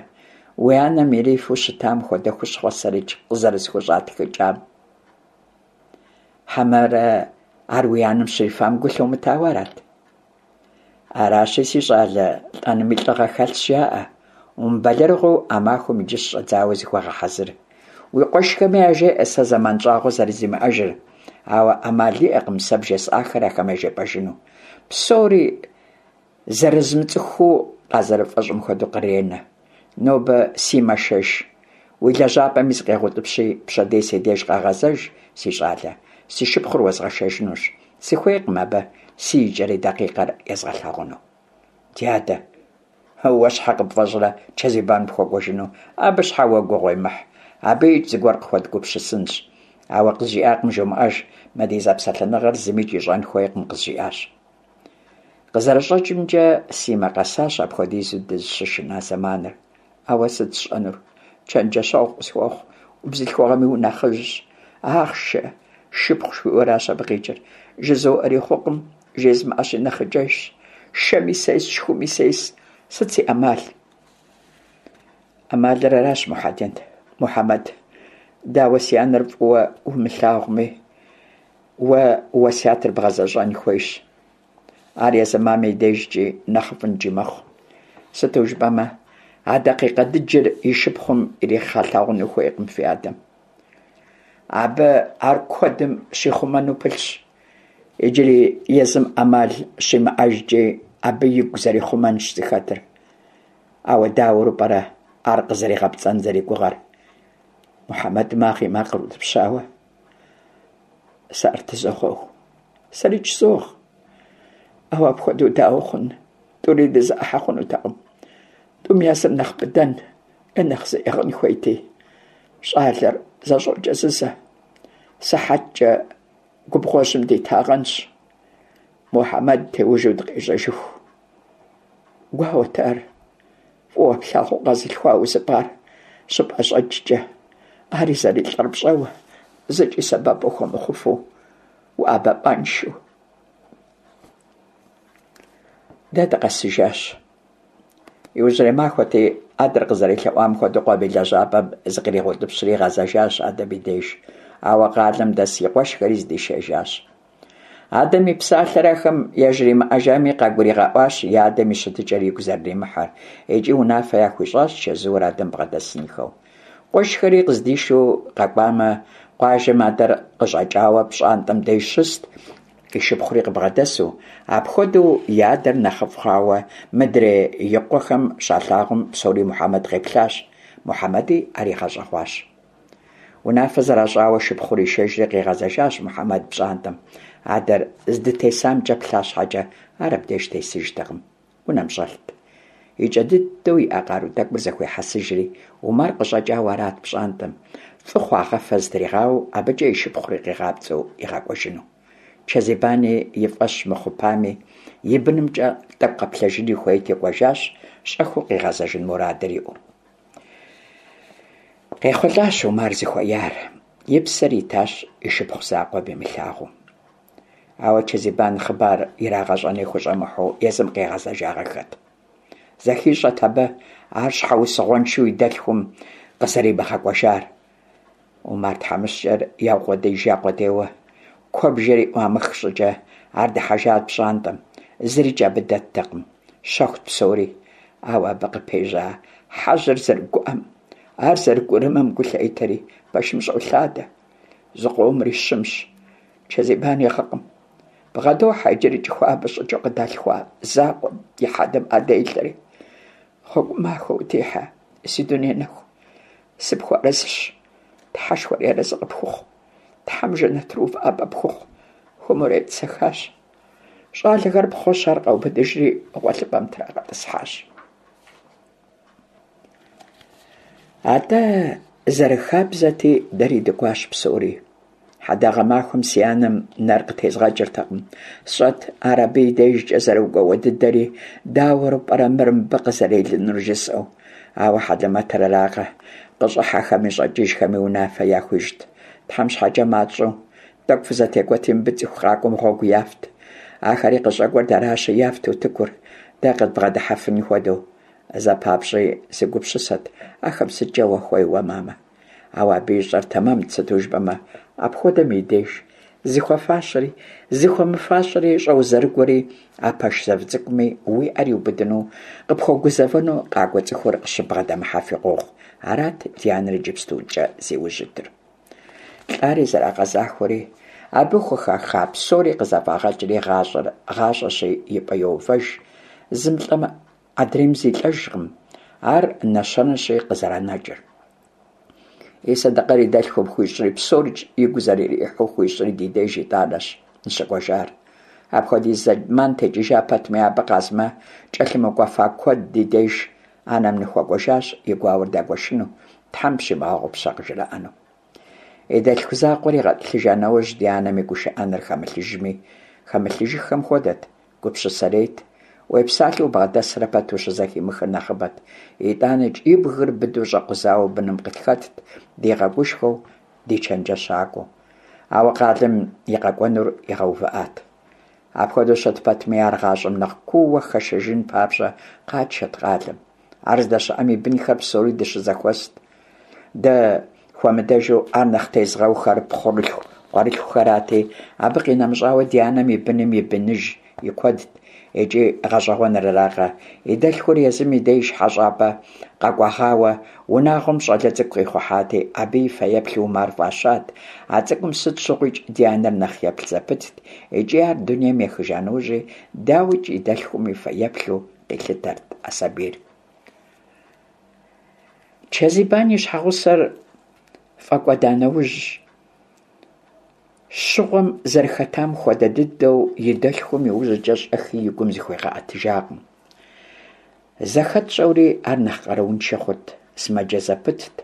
уи анэм ирифу щытам хуэдэ хущхъуэ сэрикӏ къызэрысхущӏатхыкӏам? Хьэмэрэ ар уи анэм щрифам гу лъумытауэ арат? Аращи, си щӏалэ, лӏэнми лӏыгъэ хэлъщ, жаӏэ. Умыбэлэрыгъыу а махуэм иджы щыщӏэдзауэ зыхуэгъэхьэзыр. Уи къуэшхэми яжеӏэ сэ зэман щӏагъуэ зэрызимыӏэжыр, ауэ ӏэмал иӏэкъым сэ бжесӏахэр ахэм яжепӏэжыну. Псори зэрызмыцӏыхуу къазэрыфӏэщӏым хуэдэу къренэ. Нобэ Симэ шэж. Уи лэжьапӏэми зыкъегъэутӏыпщи, пщэдей си деж къэгъэзэж, си щӏалэ. Си шыпхъур уэзгъэшэжынущ. Сыхуейкъым абы си икӏэрей дакъикъэр езгъэлъагъуну. Ди адэ, уэ щхьэ къыпфӏэщӏрэ Чэзибан пхуэкӏуэжыну? Абы щхьэ уэ гугъу уемыхь. Абыикӏ зыгуэр къыхуэдгупсысынщ. Ауэ къызжиӏакъым жумыӏэж, мы ди зэпсэлъэныгъэр зымикӏ ищӏэн хуейкъым, къызжиӏащ. Къызэрыщӏэкӏымкӏэ, Симэ къэсащ апхуэдизу дызыщышына зэманыр. Ауэ сыт сщӏэнур? Чэнджэщэгъу къысхуэхъу, убзылъхугъэми унэхъыжьщ. Ахъшэ, шыпхъу жыхуиӏэращ абы къикӏыр. Жызоӏэри хъукъым, жезмыӏэщи нэхъыкӏэжщ. Шэми сес, шхуми сес. Сыт си ӏэмал? ӏэмалыр аращ, Мухьэдин, Мухьэмэд. Дауэ си анэр фӏыуэ умылъагъуми, уэ уэсятыр бгъэзэщӏэн хуейщ. Ар езы мамэ и дежкӏи нэхъыфӏынкӏи мэхъу. Сыту жыпӏэмэ, а дакъикъэ дыджыр и шыпхъум иригъэлъагъуну хуейкъым фи адэм. Абы ар куэдым щихъумэну пылъщ. Иджыри езым ӏэмал щимыӏэжкӏи, абы игу зэрихъумэнщ зыхэтыр. Ауэ дауэру пӏэрэ ар къызэригъэпцӏэн зэригугъэр? Мухьэмэд магъ и макъыр утӏыпщауэ. Сэ ӏэр тызогъэу. Сэрикӏ согъ. Ауэ апхуэдэу дауэ хъун? Тӏури дызэӏыхьэ хъунутэкъым. Тӏум я зыр нэхъ быдэн е нэхъ зыӏыгъын хуейти. Щӏалэр зэщӏокӏэзызэ. Сыхьэткӏэ губгъуэжьым дитагъэнщ. Мухьэмэд теужу дыкъищӏэжыху. Гуауэт ар. Фӏыуэ плъагъуу къэзылъхуа узыпӏар щыпӏэщӏэкӏкӏэ, ари зэрилӏэр пщӏэуэ, зыкӏи сэбэп ухуэмыхъуфу, уӏэбэпӏэншэу. Дэ дыкъэсыжащ. Иужьрей махуэти, адэр къызэрелъэӏуам хуэдэу къуэм и лэжьапӏэм зыкъригъэутӏыпщри игъэзэжащ адэм и деж. Ауэ къалэм дэс и къуэшхэри здишэжащ. Адэм и псалъэр ахэм яжримыӏэжами, къагуригъэӏуащ и адэм и щытыкӏэр игу зэрыримыхьыр икӏи унафэ яхуищӏащ чэзууэ адэм бгъэдэсынхэу. Къуэшхэри къыздишэу къэкӏуамэ, къуажэм адэр къыщӏэкӏауэ пщӏантӏэм деж щыст, и шыпхъури къыбгъэдэсу. Апхуэдэу и адэр нэхъыфӏ хъуауэ мыдрей и къуэхэм щалъагъум, псори Мухьэмэд къеплъащ. Мухьэмэди ар игъэщӏэгъуащ. Унафэ зэращӏауэ шыпхъур ишэжри къигъэзэжащ Мухьэмэд пщӏантӏэм. Адэр здытесамкӏэ плъа щхьэкӏэ, ар абдеж тесыжтэкъым. Унэм щӏэлът. Икӏэ дыдэу иӏа къару тӏэкӏур зэхуихьэсыжри, Умар къыщӏэкӏауэ арат пщӏантӏэм, фӏы хъуагъэфэ зытригъауэу абыкӏэ и шыпхъури къигъапцӏэу игъэкӏуэжыну. Чэзибани и фӏэщ мыхъупами, и бынымкӏэ тӏэкӏу къэплъэжыни хуейти кӏуэжащ, щӏэхыу къигъэзэжын мурадыр иӏэу. Къехъулӏащ Умар зыхуеяр, и псэр итащ и шыпхъу закъуэм имылъагъуу. Ауэ Чэзибан хъыбар ирагъэщӏэни хущӏэмыхьэу езым къигъэзэжагъэххэт. Зэхищӏэт абы ар щхьэусыгъуэншэу и дэлъхум къызэримыгъэкӏуэжар. Умар тхьэмыщкӏэр яукъуэдиижа къудейуэ, куэбжэри ӏуамых щӏыкӏэ ар дыхьэжат пщӏантӏэм, зырикӏ абы дэттэкъым, щэхут псори. Ауэ абы къыпежьа хьэжьыр зэрыгуӏэм, ар зэрыгурымэм гу лъетэри, пэшым щӏолъадэ. Зыкъомри щымщ, Чэзибан и гъыкъым. Бгъэдохьэ иджырикӏ хуабэ щӏыкӏэу къыдалъхуа закъуэм и хьэдэм ӏэ делъэри. Гъуэгу махуэ утехьэ, си дуней нэху. Сыпхуэарэзыщ, Тхьэшхуэри арэзы къыпхухъу, Тхьэм жэнэтыр увыӏэпӏэ пхухъу, хуэмурэ етӏысэхащ. Щӏалэхэр пхъуэщ ар къаубыдыжри гъуэлъыпӏэм трагъэтӏысхьащ. Атӏэ, зэрыхабзэти, дэри дыкӏуащ псори. Хьэдагъэ махуэм си анэм нэр къытезгъэкӏыртэкъым. Сщӏэт ар абы и дежкӏэ зэрыгуауэ дыдэри, дауэрэ пӏэрэ мыр мыбы къызэрелынур жысӏэу. Ауэ хьэлэмэтыр аракъэ, къыщӏыхьэхэми щӏэкӏыжхэми унафэ яхуищӏт. Тхьэм щхьэкӏэ мащӏэу, тӏэкӏу фызэтекӏуэти, мыбы цӏыху къакӏуэм гъуэгу яфт. Ахэри къыщӏэкӏуэр дэращи, яфт утыкур, дэ къыдбгъэдыхьэфын хуэдэу. Зэпапщӏи сыгупсысэт, ахэм сыткӏэ уахуей уэ, мамэ? Ауэ абы ищӏэр тэмэмт, сыту жыпӏэмэ, апхуэдэм и деж зыхуэфащэри, зыхуэмыфащэри щӏэузэрыгуэри а пэш зэв цӏыкӏуми уи ӏэр иубыдыну, къыпхуэгузэвэну къакӏуэ цӏыхур къыщыбгъэдэмыхьэфи къохъу. Арат ди анэр иджыпстукӏэ зи ужь итыр. Лӏари зэрагъэзахуэри, абы хухаха псори къызэфӏагъэкӏри гъащӏэр гъащӏэщи и пӏэ йоувэж, зым лӏэмэ, Адрейм зилӏэжкъым, ар нэщэнэщи къызэранэкӏыр. И сэдэкъэр и дэлъхум хуищӏри, псорикӏ игу зэрырихьу хуищӏри ди деж итӏанэщ ныщыкӏуэжар. Апхуэдиз зэман текӏыжа пэтми, абы Къазмэ кӏэлъымыкӏуэфа куэд ди деж анэм ныхуэкӏуэжащ и гуауэр дагуэшыну, Тхьэм пщимыгъэгъупщэ къыжраӏэну. И дэлъху закъуэр игъэтӏылъыжа нэужь, ди анэм и гушыӏэныр хэмылъыжми, хэмылъыжыххэм хуэдэт, Гупсысэрейт. Уепсалъэу убгъэдэсрэ пэт ущызэхимыхыр нэхъыбэт. Итӏанэкӏ и бгыр быдэу щӏэкъузауэ быным къытхэтт, дигъэгушхуэу, ди чэнджэщакӏуэу. Ауэ къалэм и къэкӏуэнур игъэувыӏат. Апхуэдэу щыт пэтми, ар гъащӏэм нэхъ кууэ хэшэжын папщӏэ къатшэт къалэм. Ар здэщыӏэм и бынхэр псори дыщызэхуэст. Дэ хуэмыдэжу ар нэхъ тезгъэухэр пхъурылъху къуэрылъхухэрати, абы къинэмыщӏауэ ди анэм и быным и быныж и куэдт. Икӏи гъэщӏэгъуэныр аракъэ, и дэлъхур езым и деж хьэщӏапӏэ къэкӏуэгъауэ унагъуэм щӏалэ цӏыкӏу къихъухьати, абы и фэеплъу Умар фӏащат. А цӏыкӏум сыт щыгъуикӏ ди анэр нэхъ еплъ зэпытт, икӏи ар дунейм ехыжа нэужьи, дауикӏ, и дэлъхум и фэеплъу къилъытэрт а сабийр. Чэзибан и щхьэгъусэр фӏэкӏуэда нэужь, щыгъуэм зэрыхэтам хуэдэ дыдэу и дэлъхум иужькӏэ щӏэхи и гум зыхуегъэӏэтыжакъым. Зэхэтщӏэури ар нэхъ къарууншэ хъурт, сымаджэ зэпытт,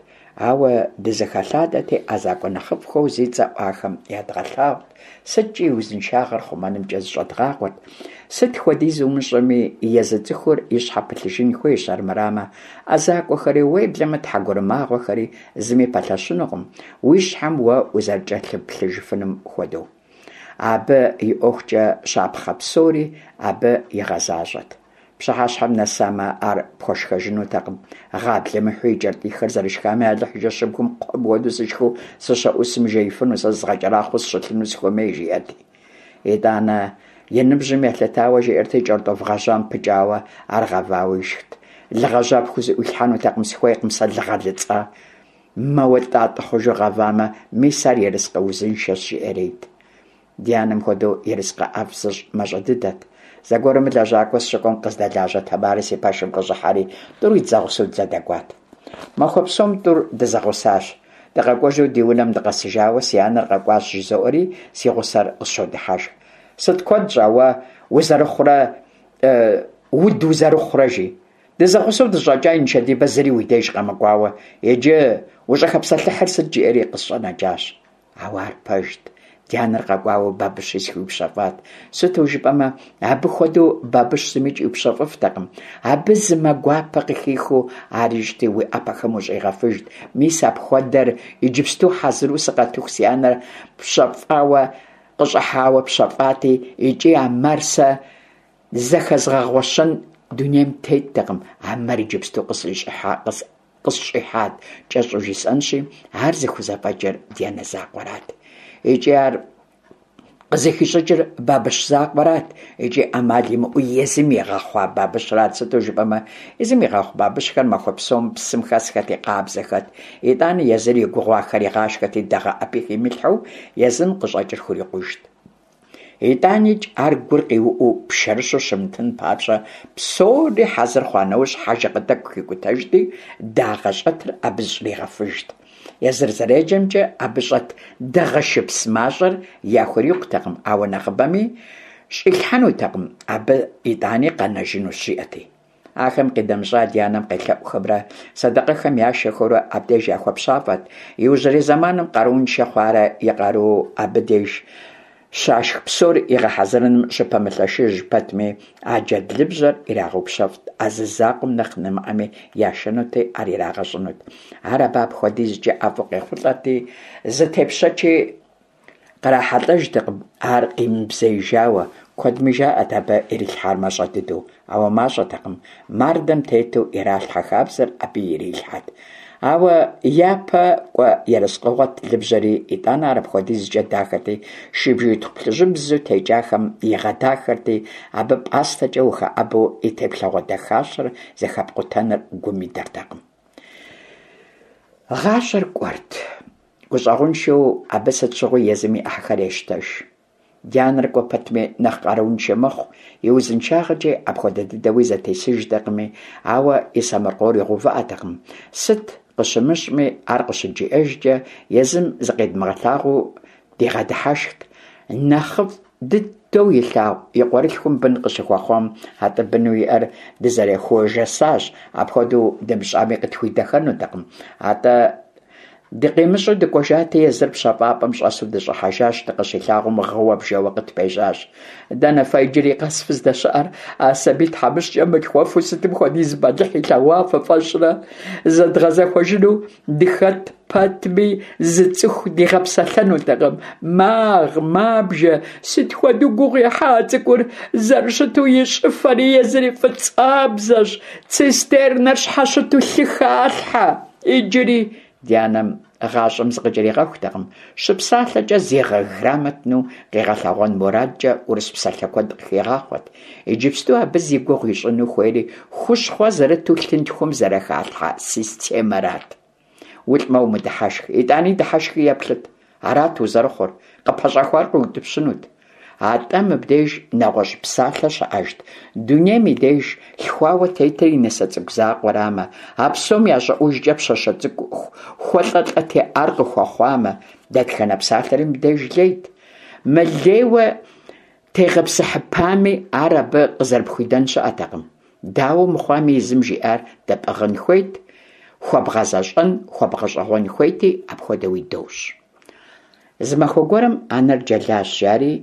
ауэ дызэхэлъадэти ӏэзакӏуэ нэхъыфӏхэу зи цӏэ ӏуахэм ядгъэлъагъут, сыткӏи и узыншагъэр хъумэнымкӏэ зыщӏэдгъакъуэрт. Сыт хуэдиз умыщӏэми, езы цӏыхур и щхьэ пылъыжын хуейщ, армырамэ, ӏэзакӏуэхэри, уеблэмэ тхьэгурымагъуэхэри зыми пэлъэщынукъым, уи щхьэм уэ узэрыкӏэлъыплъыжыфынум хуэдэу. Абы и ӏуэхукӏэ щапхъэ псори абы игъэзащӏэт. Пщыхьэщхьэм нэсамэ, ар пхуэшхэжынутэкъым. Гъаблэ мыхьу и кӏэртӏихэр зэрышхами, Алыхь жэщыбгым кхъуэм хуэдэу сышхыу сыщэӏусым жеифыну, сэ зызгъэкӏэрахъуэу сыщылъыну сыхуэмей, жиӏэрти. Итӏанэ, и ныбжьым елъытауэ жиӏэрти, кӏэртӏоф гъэжьам пыкӏауэ, ар гъэвауэ ишхт. Лы гъэжьа пхузыӏуилъхьэнутэкъым, сыхуейкъым сэ лы гъэлыцӏа. Мэуэ тӏатӏэ хъужу гъэвамэ, мис ар ерыскъы узыншэщ, жиӏэрейт. Ди анэм хуэдэу ерыскъы ӏэфӏ зыщӏ мащӏэ дыдэт. Зэгуэрым лэжьакӏуэ сыщыкӏуэм къыздэлажьэ Тамарэ си пэшым къыщӏыхьэри, тӏури зэгъусэу дызэдэкӏуат. Махуэ псом тӏур дызэгъусащ. Дыкъэкӏуэжу ди унэм дыкъэсыжауэ си анэр къэкӏуащ жызоӏэри, си гъусэр къысщодыхьэшх. Сыт куэд щӏа уэ узэрыхъурэ, уд узэрыхъурэ, жи. Дызэгъусэу дыщӏэкӏаи нышэдибэ зыри уи деж къэмыкӏуауэ, иджы ущӏыхэпсэлъыхьыр сыт, жиӏэри къысщӏэнэкӏащ. Ауэ ар пэжт, ди анэр къэкӏуауэ бабыщи схуиупщэфӏат. Сыту жыпӏэмэ, абы хуэдэу бабыщ зымикӏ иупщэфӏыфтэкъым. Абы зы мэ гуапэ къыхихыу ар ищӏти, уи ӏэпэхэм ущӏигъэфыжт. Мис апхуэдэр иджыпсту хьэзыру сыкъэтыху си анэр пщэфӏауэ къыщӏыхьауэ пщэфӏати, икӏи а мэр сэ зэхэзгъэгъуэщэн дунейм теттэкъым, а мэр иджыпсту къысщӏихьа къысщӏихьат, кӏэщӏу жысӏэнщи, ар зыхузэфӏэкӏыр ди анэ закъуэрат. Икӏи ар къызыхищӏыкӏыр бабыщ закъуэрат, икӏи ӏэмал имыӏэу езым игъэхъуа бабыщрат, сыту жыпӏэмэ, езым игъэхъу бабыщхэр махуэ псом псым хэсхэти, къабзэхэт. Итӏанэ езыр и гугъуу ахэр игъашхэти, дагъэ ӏэпи химылъхьэу езым къыщӏэкӏыр хурикъужт. Итӏаникӏ ар гур къиуӏэу пшэрыщу щымытын папщӏэ, псори хьэзыр хъуа нэужь хьэжыгъэ тӏэкӏу хикӏутэжти, дагъэ щӏэтыр абы зыщӏригъэфыжт. Езыр зэреджэмкӏэ абы щӏэт дагъэ шыпс мащӏэр яхурикъутэкъым, ауэ нэхъыбэми щӏилъхьэнутэкъым, абы итӏани къэнэжынущ, жиӏэти. Ахэм къинэмыщӏа ди анэм къелъэӏухэмрэ сэдэкъэхэм яшэхэурэ абдеж яхуэпщафӏэт. Иужьрей зэманым къарууншэ хъуарэ и къару абы деж щашх псор игъэхьэзырыным щыпэмылъэшыж пэтми, а джэдлыбжьэр ирагъэупщэфӏт, а зы закъуэм нэхъ нэмыӏэми яшэнути, ар ирагъэщӏынут. Ар абы апхуэдизкӏэ ӏэфӏу къехъулӏэрти, зы тепщэчи Кърахьэлӏэжтэкъым ар къимыбзеижауэ, куэдми жаӏэт абы ирилъхьар мащӏэ дыдэу, ауэ мащӏэтэкъым, мардэм тету иралъхьэ хабзэр абы ирилъхьэт. Ауэ япэ кӏуэ ерыскъыгъуэт лыбжьэри, итӏанэ ар апхуэдизкӏэ дахэти, шыбжиитхъу плъыжьыбзэу текӏахэм игъэдахэрти, абы пӏастэкӏэ ухэӏэбэу и теплъэгъуэ дахащэр зэхэпкъутэныр гум идэртэкъым. Гъащӏэр кӏуэрт. Гущӏэгъуншэу абы сыт щыгъуи езым и ӏыхьэхэр ещтэж. Ди анэр кӏуэ пэтми нэхъ къарууншэ мэхъу, и узыншагъэкӏи апхуэдэ дыдэуи зэтесыжтэкъыми, ауэ и сэмэркъор игъэувыӏэтэкъым. Сыт къыщымыщӏми, ар къыщыджиӏэжкӏэ, езым зыкъедмыгъэлъагъуу дигъэдыхьэшхт. Нэхъыфӏ дыдэу илъагъу и къуэрылъхум бын къыщыхуэхъуам, атӏэ быну иӏэр дызэрехуэжэсащ, апхуэдэу дымыщӏами къытхуидэхэнутэкъым. Атӏэ дыкъимыщӏэу дыкӏуэжати, езыр пщэфӏапӏэм щӏэсу дыщӏыхьэжащ, дыкъыщилъагъум гъыуэ бжэуэ къытпежьащ. Дэнэ фэ иджыри къэс фыздэщыӏэр? А сабий тхьэмыщкӏэм мылъхуэфу сытым хуэдиз бэлыхь илъэгъуа фыфӏэщӏрэ? Зэдгъэзэхуэжыну дыхэт пэтми, зы цӏыху дигъэпсэлъэнутэкъым. Магъ, мабжэ, сыт хуэдэу гугъу ехьа а цӏыкӏур, зэрыщыту и щӏыфэри езыри фӏыцӏабзэщ, цистернэр щхьэщыту лъы халъхьэ. Иджыри ди анэм гъащӏэм зыкъыкӏэригъэхутэкъым, щыпсалъэкӏэ зигъэграмотну къигъэлъэгъуэн мурадкӏэ урыс псалъэ куэд къыхигъахъуэт. Иджыпсту абы зи гугъу ищӏыну хуейри хущхъуэ зэрыту лъынтхуэм зэрыхалъхьэ системэрат. Улӏмэ умыдыхьэшх, итӏани дыхьэшхи еплъыт. Арат узэрыхъур, къыпэщӏэхуар къыутӏыпщынут. Атӏэ мыбдеж нэгъуэщӏ псалъэ щыӏэжт, дунейм и деж лъхуауэ тетыр и нысэ цӏыкӏу закъуэрамэ, а псом я щӏыӏужкӏэ пщащэ цӏыкӏу хуэлӏэлӏэтеӏар къыхуэхъуамэ, дэтхэнэ псалъэри мыбдеж лейт. Мылейуэ тегъэпсыхьыпами, ар абы къызэрыпхуидэн щыӏэтэкъым. Дауэ мыхъуами, езым жиӏар дэпӏыгъын хуейт, хуэбгъэзэщӏэн, хуэбгъэщӏэгъуэн хуейти, апхуэдэуи дощӏ. Зы махуэ гуэрым анэр джэлащ, жари,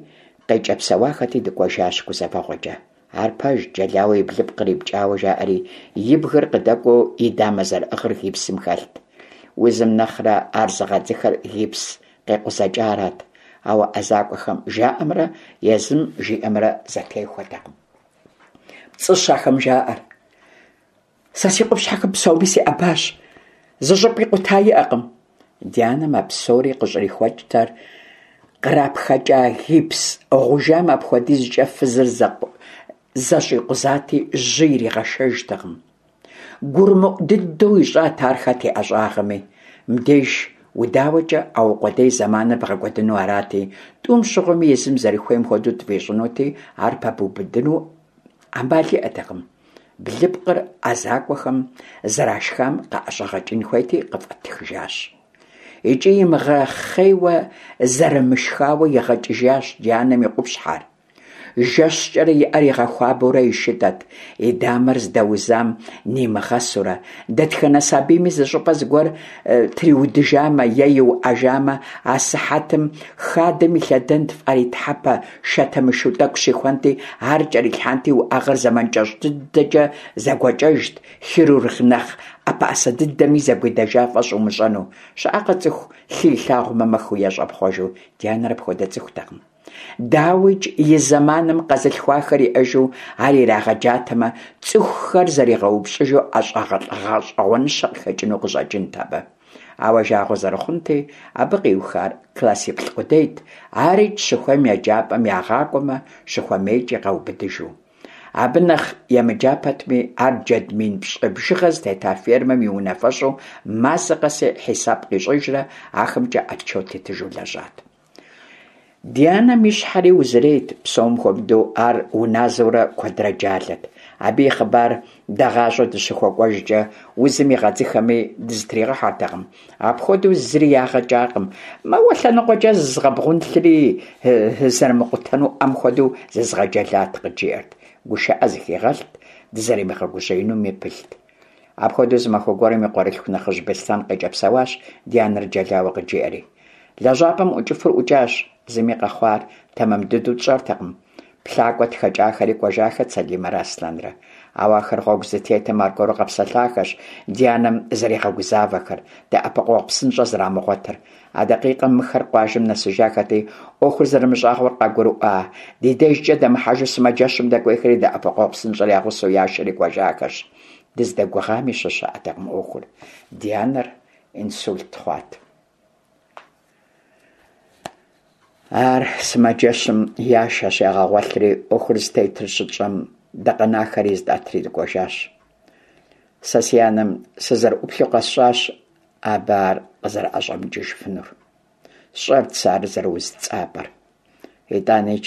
къекӏэпсэуахэти дыкӏуэжащ гузэвэгъуэкӏэ. Ар пэжт, джэлауэ и блыпкъыр ипкӏауэ жаӏэри, и бгыр къыдэкӏуэу и дамэ зэрыӏыгъыр гипсым хэлът. Узым нэхърэ ар зыгъэдзыхэр гипс къекъузэкӏарат, ауэ ӏэзакӏуэхэм жаӏэмрэ езым жиӏэмрэ зэтехуэтэкъым. Пцӏыщ ахэм жаӏэр. Сэ си къупщхьэхэм псоми сеӏэбащ, зы щӏыпӏи къута иӏэкъым. Ди анэм а псори къыщӏрихуэкӏтэр. кърапхэкӏа гипс гъужам апхуэдизкӏэ фызыр зэщӏикъузати, жьы иригъэшэжтэкъым. Гурымыӏу дыдэу ищӏат ар хэт и ӏэщӏагъэми. Мыбдеж удауэкӏэ аукъуэдей зэманыр бгъэкӏуэдыну арати, тӏум щыгъуэми езым зэрыхуейм хуэдэу тфӏищӏынути, ар пэбубыдыну ӏэмал иӏэтэкъым. Блыпкъыр ӏэзакӏуэхэм зэрашхам къаӏэщӏэгъэкӏын хуейти, къыфӏэтхыжащ. Икӏи имыгъэхъейуэ зэрымышхауэ игъэкӏыжащ ди анэм и къупщхьэр. Жэщкӏэрэ и ӏэр игъэхуабэурэ ишытӏэт, и дамэр здэузам нимыгъэсурэ. Дэтхэнэ сабийми зыщӏыпӏэ зыгуэр триудыжамэ е иуӏэжамэ, асыхьэтым хадэм илъэдэнт, фӏарий тхьэпэ шатэмышу тӏэкӏу щихуэнти, ар кӏэрилъхьэнти, уӏэгъэр зэман кӏэщӏ дыдэкӏэ зэгуэкӏэжт, хирург нэхъ ӏэпэӏэсэ дыдэми зэгуидэжа фӏэщ умыщӏэну. Щыӏэкъэ цӏыху лъы илъагъумэ мэхыу е щӏэпхъуэжу, ди анэр апхуэдэ цӏыхутэкъым. Дауикӏ, и зэманым къэзылъхуахэр иӏэжу ар ирагъэджатэмэ, цӏыхухэр зэригъэупщӏыжу ӏэщӏагъэлӏ гъэщӏэгъуэныщэ къыхэкӏыну къыщӏэкӏынт абы. Ауэ жагъуэ зэрыхъунти, абы къиухар классиплӏ къудейт, арикӏ щыхуейм еджапӏэм ягъакӏуэмэ, щыхуэмейкӏи къаубыдыжу. Абы нэхъ емыджа пэтми, ар джэд мин пщӏы бжыгъэ зытета фермэм и унафэщӏу мазэ къэси хьисап къищӏыжрэ ахэмкӏэ отчет итыжу лэжьат. Ди анэм и щхьэри узырейт, псом хуэмыдэу ар уназэурэ куэдрэ джалэт. Абы и хъыбар дагъащӏэу дыщыхуэкӏуэжкӏэ, узым игъэдзыхэми дызытригъэхьэртэкъым. Апхуэдэу зыри ягъэ кӏакъым, мэуэ лъэныкъуэкӏэ зызгъэбгъунлъри, зэрымыкъутэну ӏэм хуэдэу зызгъэджэлат, къыджиӏэрт. Гушыӏэ зыхигъэлът, дызэримыгъэгужьеинуми пылът. Апхуэдэу зы махуэ гуэрым и къуэрылъху нэхъыжь Беслъэн къекӏэпсэуащ ди анэр джэлауэ къыджиӏэри. Лэжьапӏэм ӏукӏыфыр ӏукӏащ, зыми къэхъуар тэмэм дыдэу тщӏэртэкъым. Плъакӏуэ тхэкӏахэри кӏуэжахэт Сэлимэрэ Аслъэнрэ. Ауэ ахэр гъуэгу здытетым аргуэру къэпсэлъахэщ ди анэм зэригъэгузавэхэр, дэӏэпыкъуэгъу псынщӏэ зэрамыгъуэтыр. А дакъикъэм мыхэр къуажэм нэсыжахэти, ӏуэхур зэрымыщӏагъуэр къагурыӏуа, ди дежкӏэ дэмыхьэжу сымаджэщым дэкӏуейхэри дэӏэпыкъуэгъу псынщӏэр я гъусэу яшэри кӏуэжахэщ. Дыздэгугъами щыщыӏэтэкъым ӏуэхур. Ди анэр инсульт хъуат. Ар сымаджэщым яшэщ, ягъэгъуэлъри, ӏуэхур зытетыр щытщӏэм, дыкъэнахэри зытӏэтри дыкӏуэжащ. Сэ си анэм сызэрыӏуплъэу къэсщӏащ абы ар къызэрыӏэщӏэмыкӏыжыфынур. Сщӏэрт сэ ар зэрыуз цӏапӏэр. Итӏанич,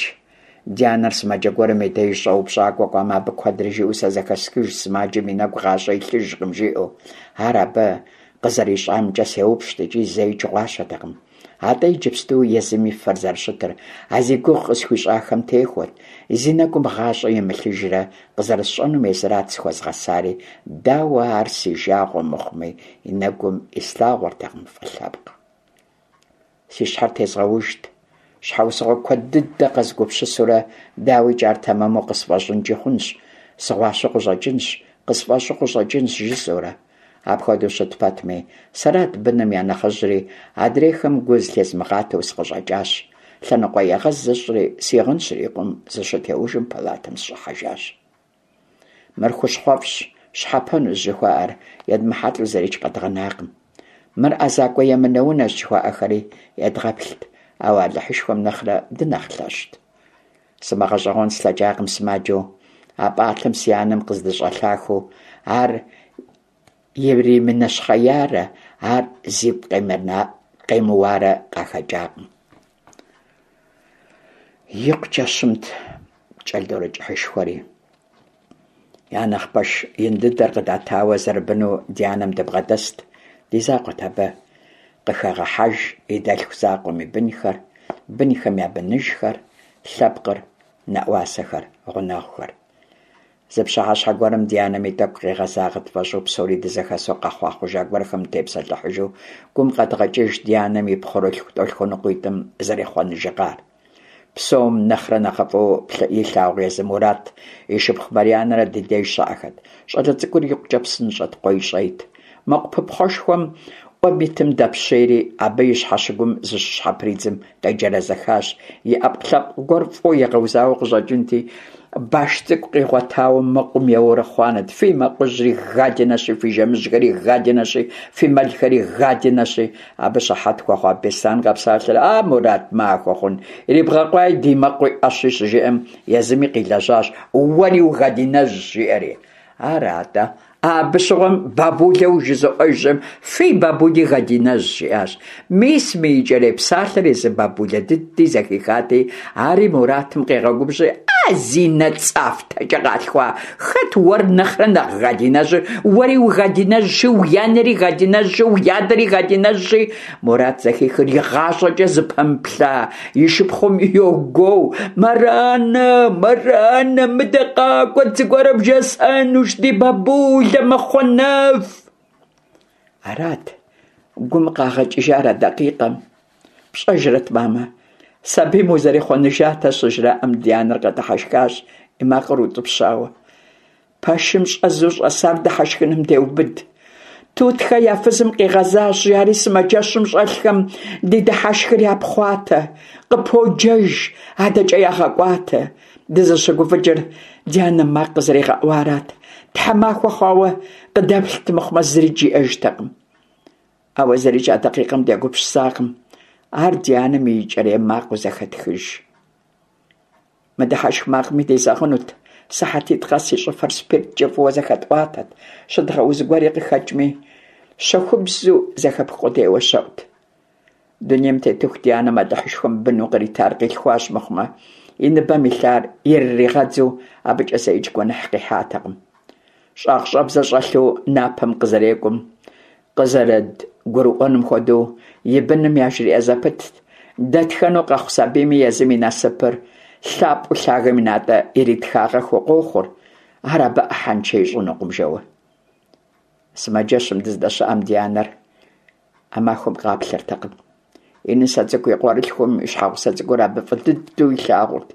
ди анэр сымаджэ гуэрым и деж щӏэупщӏакӏуэ кӏуамэ, абы куэдрэ жиӏэу сэ зэхэсхыж сымаджэм и нэгу гъащӏэ илъыжкъым, жиӏэу. Ар абы къызэрищӏамкӏэ сеупщӏт икӏи зэикӏ гъуащэтэкъым. Атӏэ иджыпсту езым и фэр зэрыщытыр а зи гугъу къысхуищӏахэм техуэрт, зи нэгум гъащӏэ имылъыжрэ къызэрысщӏэнум езырат сыхуэзгъэсари, дауэ ар си жагъуэ мыхъуми, и нэгум ислъагъуэртэкъым фӏы лъэпкъ. Си щхьэр тезгъэужт, щхьэусыгъуэ куэд дыдэ къэзгупсысурэ, дауикӏ ар тэмэму къысфӏэщӏынкӏи хъунщ, сыгъуащэу къыщӏэкӏынщ, къысфӏэщӏу къыщӏэкӏынщ, жысӏэурэ. Апхуэдэу щыт пэтми, сэрат быным я нэхъыжьри, адрейхэм гу зылъезмыгъатэу сыкъыщӏэкӏащ. Лъэныкъуэегъэз зысщӏри, си гъын щрикъум зыщытеужым палатэм сыщӏыхьэжащ. Мыр хущхъуэфӏщ, щхьэпэнущ жыхуаӏэр едмыхьэлӏэу зырикӏ къэдгъэнакъым. Мыр ӏэзакӏуэ емынэунэщ жыхуаӏэхэри едгъэплът, ауэ Алыхьышхуэм нэхърэ дынэхъ лъэщт. Сымыгъэщӏэгъуэн слъэкӏакъым сымаджэу а пӏалъэм си анэм къыздыщӏэлъахэу ар иримынэщхъеярэ ар зигу къемыуарэ къахэкӏакъым. Икъукӏэ щымт кӏэлдорэ кӏыхьышхуэри. Я нэхъ пэш ин дыдэр къыдатауэ зэрыбыну ди анэм дыбгъэдэст, ди закъуэт абы. Къыхэгъэхьэж и дэлъху закъуэм и бынхэр, бынхэм я быныжхэр, лъэпкъыр, нэӏуасэхэр, гъунэгъухэр. Зы пщыхьэщхьэ гуэрым ди анэми тӏэкӏу къигъэзагъэ тфӏэщӏу псори дызэхэсу къэхъуа хъужа гуэрхэм тепсэлъыхьыжу гум къэдгъэкӏыж ди анэм и пхъурылъху тӏолъхуэныкъуитӏым зэрехъуэныжыгъар. Псом нэхърэ нэхъыфӏу илъагъу езы Мурат и шыпхъу Марьянэрэ ди деж щыӏэхэт. Щӏалэ цӏыкӏур икъукӏэ псынщӏэт, къуейщӏейт. Мэкъу пыпхъуэшхуэм ӏуэм итым дэпщейри, абы и щхьэщыгум зыщыщхьэпридзым къеджэрэзэхащ. И ӏэпкълъэпкъ гуэр фӏыуэ игъэузауэ къыщӏэкӏынти, баш цӏыкӏу къигъуэтауэ мэкъум еуэурэ хъуанэт: Фи мэкъужьри гадинэщи, фи жэмыжьхэри гадинэщи, фи мэлхэри гадинэщи. Абы щыхьэт хуэхъуа Беслъэн къэпсалъэри, А, Мурат, махуэ хъун, ирибгъэкъуаи ди мэкъуи ӏэщи, щыжиӏэм, езыми къилэжьащ, Уэри угадинэжьщ, жиӏэри. Ара-тӏэ? Абы щыгъуэм бабулэу жызоӏэж щыжиӏэм, фи бабули гадинэжьщ, жиӏащ. Мис мы икӏэрей псалъэр езы бабулэ дыди зэхихати, ари Муратым къегъэгубжьри, А, зи нэ цӏафтэкӏэ къалъхуа, хэт уэр нэхърэ нэхъ гадинэжьыр? Уэри угадинэжьщи, уи анэри гадинэжьщи, уи адэри гадинэжьщи. Мурат зэхихыр игъащӏэкӏэ зыпэмыплъа и шыпхъум йогуоу, Мэранэ, Мэранэ, мыдэ къакӏуэт, зыгуэрэ бжесӏэнущ, ди бабулэ мэхъуэнэф. Арат гум къагъэкӏыжар а дакъикъэм. Пщӏэжрэт, мамэ, сабийм узэрехъуэныжатэ щыжраӏэм, ди анэр къэдыхьэшхащ, и макъыр утӏыпщауэ. Пэшым щӏэзу щӏэсар дыхьэшхыным деубыд. Тутхэ я фызым къигъэзащ, жари сымаджэщым щӏэлъхэм ди дыхьэшхыр япхъуатэ, къыподжэж, адэкӏэ ягъэкӏуатэ. Дызыщыгуфӏыкӏыр ди анэм макъ къызэригъэӏуарат. Тхьэмахуэ хъуауэ къыдэплът мыхъумэ зыри жиӏэжтэкъым. Ауэ зырикӏ а дакъикъэм дегупсысакъым. Ар ди анэм и икӏэрей макъыу зэхэтхыж. Мы дыхьэшх макъми дезэгъынут, сыхьэтитӏ къэс и щӏыфэр спирткӏэ фӏыуэ зэхэтӏуатэт, щыдгъэуз гуэри къыхэкӏми, щэхубзу зэхэпх къудейуэ щэӏут. Дунейм тетыху ди анэм Алыхьышхуэм быну къритар къилъхуащ мыхъумэ, и ныбэм илъар ирыригъэдзу абыкӏэ зэикӏ гуэныхь къихьатэкъым. Щӏагъщӏэбзэ щӏэлъу напэм къызэрекӏум, къызэрыдгурыӏуэным хуэдэу и быным яжриӏэ зэпытт, дэтхэнэу къэхъу сабийми езым и насыпыр лъапӏэу лъагэм и натӏэ иритхагъэххэу къохъур, ар абы ӏыхьэншэ ищӏынукъым жэуэ. Сымаджэщым дыздэщыӏэм ди анэр а махуэм къаплъэртэкъым. И нысэ цӏыкӏу и къуэрылъхум и щхьэгъусэ цӏыкӏур абы фӏы дыдэу илъагъурт.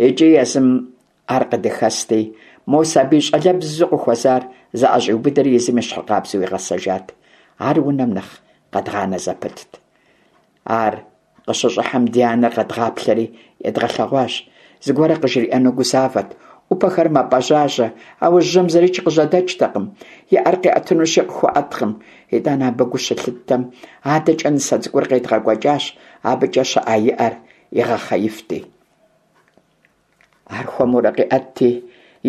Икӏи езым Ар къыдыхэсти, мо сабий щӏалэбзу къыхуэзар зыӏэщӏиубыдэри езым ещхьыркъабзэу игъэсэжат. Ар унэм нэхъ къэдгъанэ зэпытт. Ар къыщыщӏыхьэм ди анэр къэдгъаплъэри едгъэлъэгъуащ. Зыгуэрэ къыжриӏэну гузавэт. ӏупэхэр мэпӏэжьажьэ, ауэ жьэм зырикӏ къыжьэдэкӏтэкъым. И ӏэр къиӏэтынущи, къыхуэӏэткъым. Итӏанэ абы гу щылъыттэм, адэкӏэ нысэ цӏыкӏур къедгъэкӏуэкӏащ, абыкӏэ щыӏа и ӏэр игъэхъеифти. Ар хуэмурэ къиӏэтти,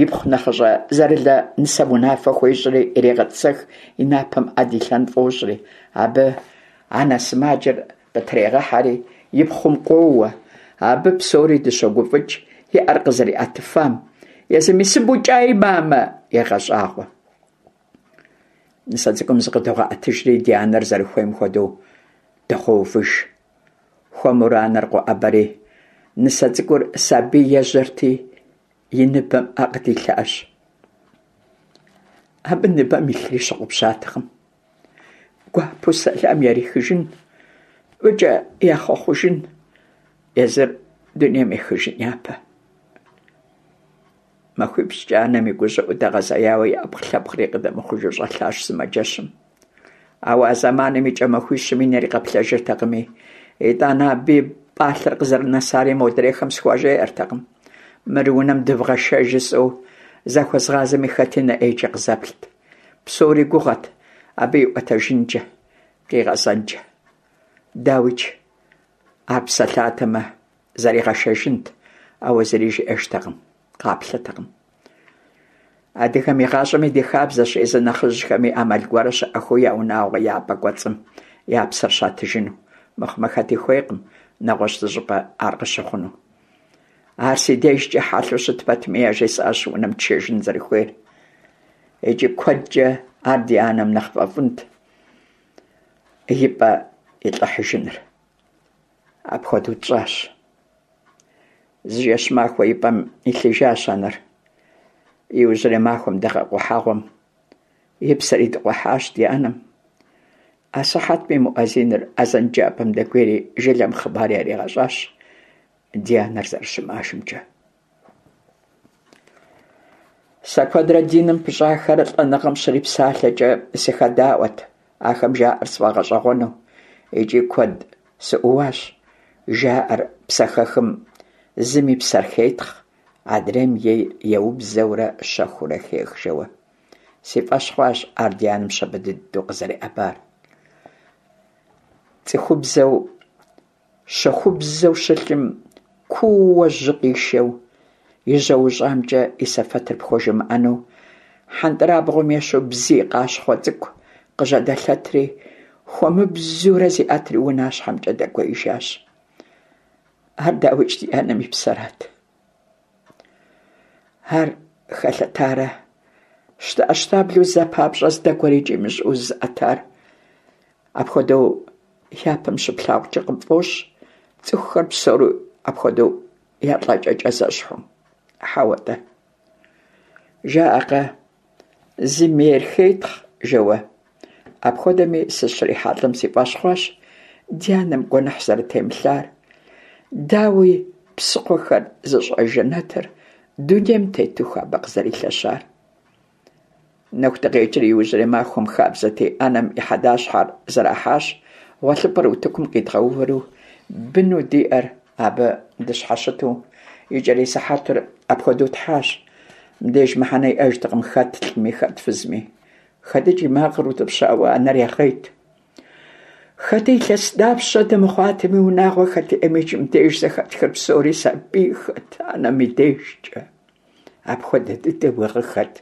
ипхъу нэхъыщӏэ Зэрылэ нысэм унафэ хуещӏри ирегъэтӏысэх, и напэм ӏэ дилъэн фӏощӏри. Абы анэ сымаджэр къытрегъэхьэри, и пхъум къоуэ. Абы псори дыщогуфӏыкӏ и ӏэр къызэриӏэтыфам. Езыми сыбукӏаи, мамэ, егъэщӏагъуэ. Нысэ цӏыкӏум зыкъыдогъэӏэтыжри, ди анэр зэрыхуейм хуэдэу дыгъэувыж. Хуэмурэ анэр къоӏэбэри, нысэ цӏыкӏур сабий ежьэрти, и ныбэм ӏэ къыдилъащ. Абы ныбэм илъри щыгъупщатэкъым. Гуапэу сэлам ярихыжын, фӏыкӏэ яхъуэхъужын, езыр дунейм ехыжын япэ. Махуипщӏкӏэ анэм и гущӏыӏу дэгъэзеяуэ и ӏэпкълъэпкъри къыдэмыхъужу щӏэлъащ сымаджэщым. Ауэ а зэманым и кӏэ махуищым и нэри къэплъэжыртэкъыми, итӏанэ абы и пӏалъэр къызэрынэсари модрейхэм схуажеӏэртэкъым. Мыр унэм дывгъэшэж жысӏэу захуэзгъазэми хэти нэ ӏейкӏэ къызэплът. Псори гугъэт абы иӏуэтэжынкӏэ, къигъэзэнкӏэ. Дауикӏ, ар псэлъатэмэ, Зэригъэшэжынт, ауэ зыри жиӏэжтэкъым, къаплъэтэкъым. Адыгэм игъащӏэми ди хабзэщ езы нэхъыжьхэми ӏэмал гуэрэ щыӏэхыу я унагъуэ я пӏэ кӏуэцӏым я псэр щатыжыну, мыхъумэ хэти хуейкъым нэгъуэщӏ зыщӏыпӏэ ар къыщыхъуну. Ар си дежкӏэ хьэлъэу щыт пэтми яжесӏащ унэм тшэжын зэрыхуейр. Икӏи куэдкӏэ ар ди анэм нэхъ фӏэфӏынт и пӏэ илӏыхьыжыныр. Апхуэдэу тщӏащ. Зы жэщ-махуэ и пӏэм илъыжащ анэр. Иужьрей махуэм дыгъэ къухьэгъуэм и псэр идыкъухьащ ди анэм. Асыхьэтми муӏэзиныр азэн джапӏэм дэкӏуейри жылэм хъыбар яригъэщӏащ ди анэр зэрыщымыӏэжымкӏэ. Сэ куэдрэ диным пыщӏахэр лӏэныгъэм щрипсалъэкӏэ сыхэдаӏуэт. ахэм жаӏэр сфӏэгъэщӏэгъуэну икӏи куэд сыӏууащ. Жаӏэр псэхэхым зым и псэр хетхъ, адрейм ейр еубзэурэ щэхуурэ хех жэуэ. Си фӏэщ хъуащ ар ди анэм щабэ дыдэу къызэреӏэбар. Цӏыхубзэу Щэхубзэу щылъым куууэ жьы къишэу, и жьэ ущӏамкӏэ и сэфэтыр пхуэжымыӏэну, хьэнтӏрабгъуэм ещхьу бзий къащхъуэ цӏыкӏу къыжьэдэлъэтри, хуэмыбзурэ зиӏэтри унащхьэмкӏэ дэкӏуеижащ. Ар, дауикӏ, ди анэм и псэрат. Ар хэлъэтарэ щтэӏэщтаблэу зэ папщӏэ здэкӏуэр икӏи имыщӏэу зызыӏэтар. Апхуэдэу япэм щыплъагъукӏэ къыпфӏощӏ цӏыхухэр псори апхуэдэу я лӏэкӏэкӏэ зэщхьу. Хьэуэ-тӏэ. Жаӏэкъэ, зым ейр хетхъ, жэуэ. Апхуэдэми сыщрихьэлӏэм си фӏэщ хъуащ ди анэм гуэныхь зэрытемылъар. Дауи, псыхъуэхэр зыщӏэж жэнэтыр дунейм тетыху абы къызэрилъэщар. Нэху дыкъекӏри иужьрей махуэм хабзэти, анэм и хьэдащхьэр зэрахьащ, гъуэлъыпӏэр утыкум къидгъэувэри, быну диӏэр абы дыщхьэщыту, икӏэрей сыхьэтыр апхуэдэу тхьащ. Мыбдеж мыхьэнэ иӏэжтэкъым хэт лӏыми, хэт фызми. Хэти кӏий макъыр утӏыпщауэ анэр ягъейт. Хэти илъэс дапщэ дымыхъуатэми, унагъуэ хэт иӏэмикӏ мыбдеж зэхэтхыр псори сабийхэт анэм и дежкӏэ. Апхуэдэ дыдэуи гъыхэт.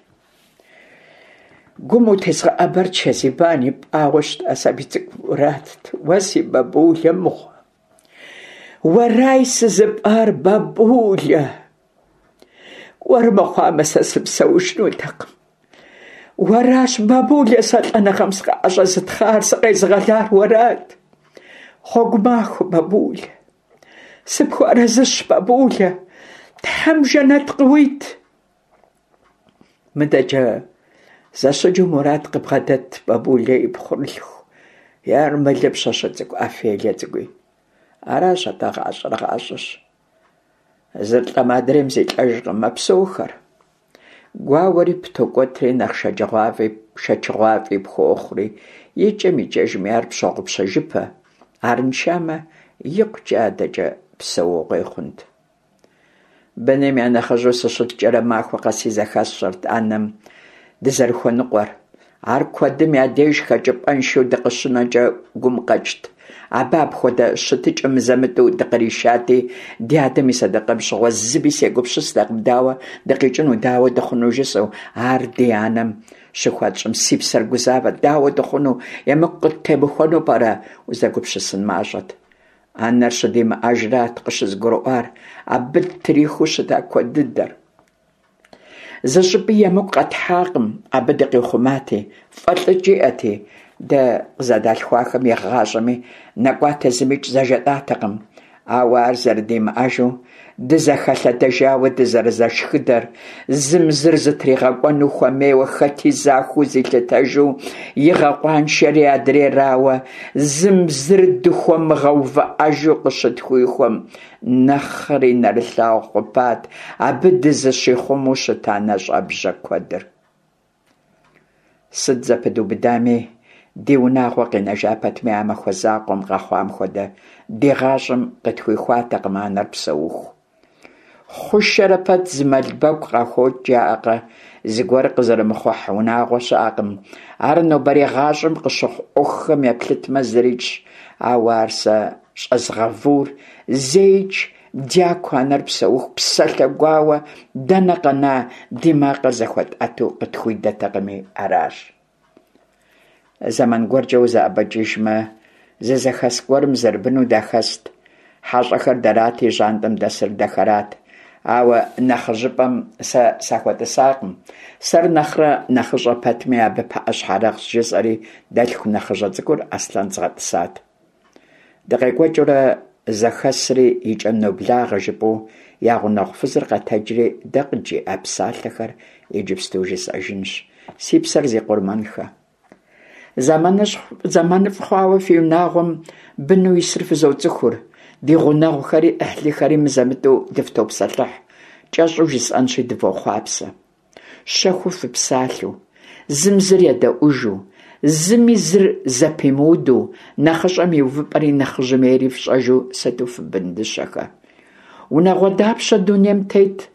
Гум утезгъэӏэбэр Чэзибан ипӏауэ щыта сабий цӏыкӏу Муратт. Уэ си бабулэ мыгъуэ! Уэрай сызыпӏар, бабулэ! Уэр мыхъуамэ, сэ сыпсэужынутэкъым. Уэращ, бабулэ, сэ лӏэныгъэм сыкъыӏэщӏэзытхъар, сыкъезыгъэлар уэрат. Гъуэгу махуэ, бабулэ! Сыпхуэарэзыщ, бабулэ, Тхьэм жэнэт къыуит. Мыдэкӏэ зэщыджэу Мурат къыбгъэдэт бабулэ и пхъурылъху ермэлы пщащэ цӏыкӏу Офелие цӏыкӏуи. Аращ атӏэ гъащӏэр гъащӏэщ. Зыр лӏэмэ адрейм зилӏэжкъым, мэпсэухэр. Гуауэри птокӏуэтри, нэхъ шэчыгъуафӏи пхуохъури, икӏэм-икӏэжми ар пщогъупщэжыпэ, арыншамэ, икъукӏэ адэкӏэ псэугъуей хъунт. Быным я нэхъыжьу сыщыткӏэрэ махуэ къэси зэхэсщӏэрт анэм дызэрыхуэныкъуэр. Ар куэдым я деж хэкӏыпӏэншэу дыкъыщынэкӏэ гум къэкӏт. Абы апхуэдэ щытыкӏэ мызэ-мытӏэу дыкъришати, ди адэм и сэдэкъэм щыгъуэ зыми сегупсыстэкъым, дауэ дыкъикӏыну, дауэ дыхъуну жысӏэу. Ар ди анэм щыхуэтщӏым си псэр гузавэт, дауэ дыхъуну, емыкӏу къыттемыхуэну пӏэрэ, узэгупсысын мащӏэт. Анэр щыдимыӏэжрат къыщызгурыӏуар абы ттрихыу щыта куэд дыдэр. Зы щӏыпӏи емыкӏу къэтхьакъым, абы дыкъихъумати, фӏэлӏыкӏ иӏэти, дэ къызэдалъхуахэм игъащӏэми нэкӏуатэ зымикӏ зэжетӏатэкъым. Ауэ ар зэрыдимыӏэжу, дызэхэлъэдэжауэ дызэрызэшхыдэр, зым зыр зытригъэкӏуэну хуэмейуэ хэти захуэу зилъытэжу игъэкъуаншэри адрейрауэ, зым зыр дыхуэмыгъэувыӏэжу къыщытхуихуэм, Нэхъри нэрылъагъу хъупат абы дызыщихъумэу щыта нэщӏэбжьэ куэдыр. Сыт зэпыдубыдами, ди унагъуэ къинэжа пэтми а махуэ закъуэм къэхъуам хуэдэ ди гъащӏэм къытхуихуатэкъым анэр псэуху. Хъушэрэ пэт зы мэл бэгу къахокӏ жаӏэкъэ, зыгуэр къызэрымыхъухь унагъуэ щыӏэкъым. Ар нобэрей гъащӏэм къыщыхъу ӏуэхухэм еплъытмэ зырикӏщ, ауэ ар сэ щӏэзгъэвур зэикӏ дяку анэр псэуху псалъэ гуауэ дэнэ къэна ди макъыр зэхуэтӏэту къытхуидэтэкъыми аращ. Зэман гуэркӏэ узэӏэбэкӏыжмэ, зы зэхэс гуэрым зэрыбыну дахэст. Хьэщӏэхэр дэрати, жьантӏэм дэсыр дэхэрат. Ауэ нэхъыжьыпӏэм сэ сахуэтӏысакъым. Сэр нэхърэ нэхъыщӏэ пэтми, абы пыӏэ щхьэрыгъщ, жысӏэри дэлъху нэхъыщӏэ цӏыкӏур Аслъэн згъэтӏысат. Дыкъекӏуэкӏыурэ зэхэсри и кӏэм ноблагъэ жыпӏэу я гъунэгъу фызыр къэтэджри дэ къыджиӏа псалъэхэр иджыпсту жысӏэжынщ, си псэр зи къурмэнхэ. Зэманыфӏ хъуауэ фи унагъуэм быну исыр фызоцӏыхур, ди гъунэгъухэри ӏыхьлыхэри мызэ-мытӏэу дыфтопсэлъыхь, кӏэщӏу жысӏэнщи, дывохъуапсэ. Щэхуу фыпсалъэу, зым зыр едэӏужу, Зыми зыр зэпимыуду, нэхъыщӏэм и увыпӏэри нэхъыжьым ейри фщӏэжу сыту фыбын дыщэхэ. Унагъуэ дапщэ дунейм тет,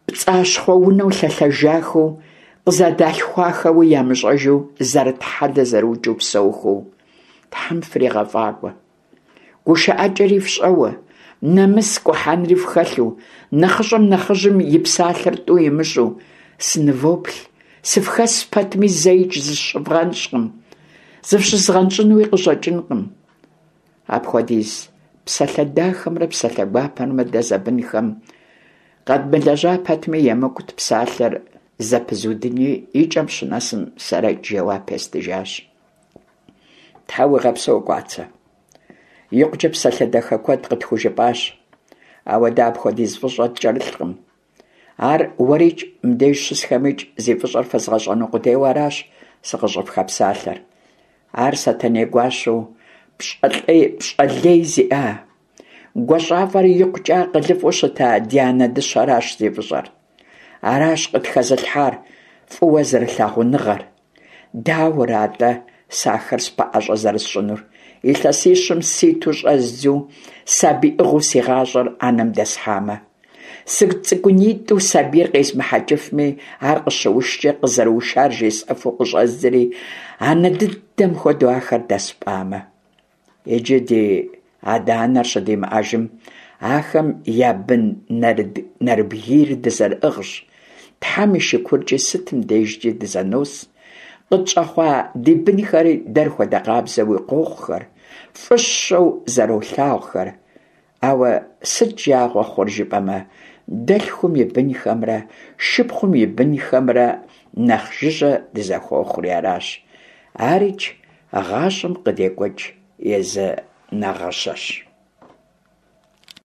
пцӏащхъуэ унэу лъэлъэжахэу, къызэдалъхуахэуи ямыщӏэжу, зэрытхьэлэ зэрыукӏыу псэухэу. Тхьэм фригъэфӏакӏуэ. Гушыӏэкӏэри фщӏэуэ, нэмыс кӏухьэнри фхэлъу, нэхъыщӏэм нэхъыжьым и псалъэр тӏу имыщӏу, сынывоплъ, сыфхэс пэтми зэикӏ зыщывгъэнщӏкъым, зыфщызгъэнщӏынуи къыщӏэкӏынкъым. Апхуэдиз псалъэ дахэмрэ псалъэ гуапэмрэ дэ зэбынхэм къэдмылэжьа пэтми, емыкӏут псалъэр зэпызудыни, и кӏэм щынэсым сэрэкӏ жэуап естыжащ. Тхьэ уигъэпсэу, Кӏуацэ. Икъукӏэ псалъэ дахэ куэд къытхужыпӏащ, ауэ дэ апхуэдиз фӏыщӏэ ткӏэрылъкъым. Ар уэрикӏ, мыбдеж щысхэмикӏ зи фӏыщӏэр фэзгъэщӏэну къудейуэ аращ сыкъыщӏыфхэпсалъэр. Ар Сэтэней гуащэу пщӏэ лей зиӏа, гуащӏафӏэрэ икъукӏэ акъылыфӏэу щыта ди анэ дыщэращ зи фӏыщӏэр. Аращ къытхэзылъхьар фӏыуэ зэрылъагъуныгъэр. Дауэрэ атӏэ сэ ахэр спэӏэщӏэ зэрысщӏынур? Илъэсищым ситу щӏэздзу сабийӏыгъыу си гъащӏэр анэм дэсхьамэ? Сыцӏыкӏунитӏу сабийр къезмыхьэкӏыфми, ар къыщыушкӏэ къызэрыушар жесӏэфу къыщӏэздзэри, анэ дыдэм хуэдэу ахэр дэспӏамэ? Иджы ди адэ-анэр щыдимыӏэжым, ахэм я бын нэрыбгийр дызэрыӏыгъщ, Тхьэм и шыкуркӏи сытым дежкӏи дызэнос, къытщӏэхъуа ди бынхэри дэр хуэдэ къабзэуи къохъухэр, фӏыщэу зэролъагъухэр. Ауэ сыт жагъуэ хъур жыпӏэмэ, дэлъхум и бынхэмрэ шыпхъум и бынхэмрэ нэхъ жыжьэ дызэхуохъури аращ. Арикӏ гъащӏэм къыдекӏуэкӏ езы нагъыщэщ.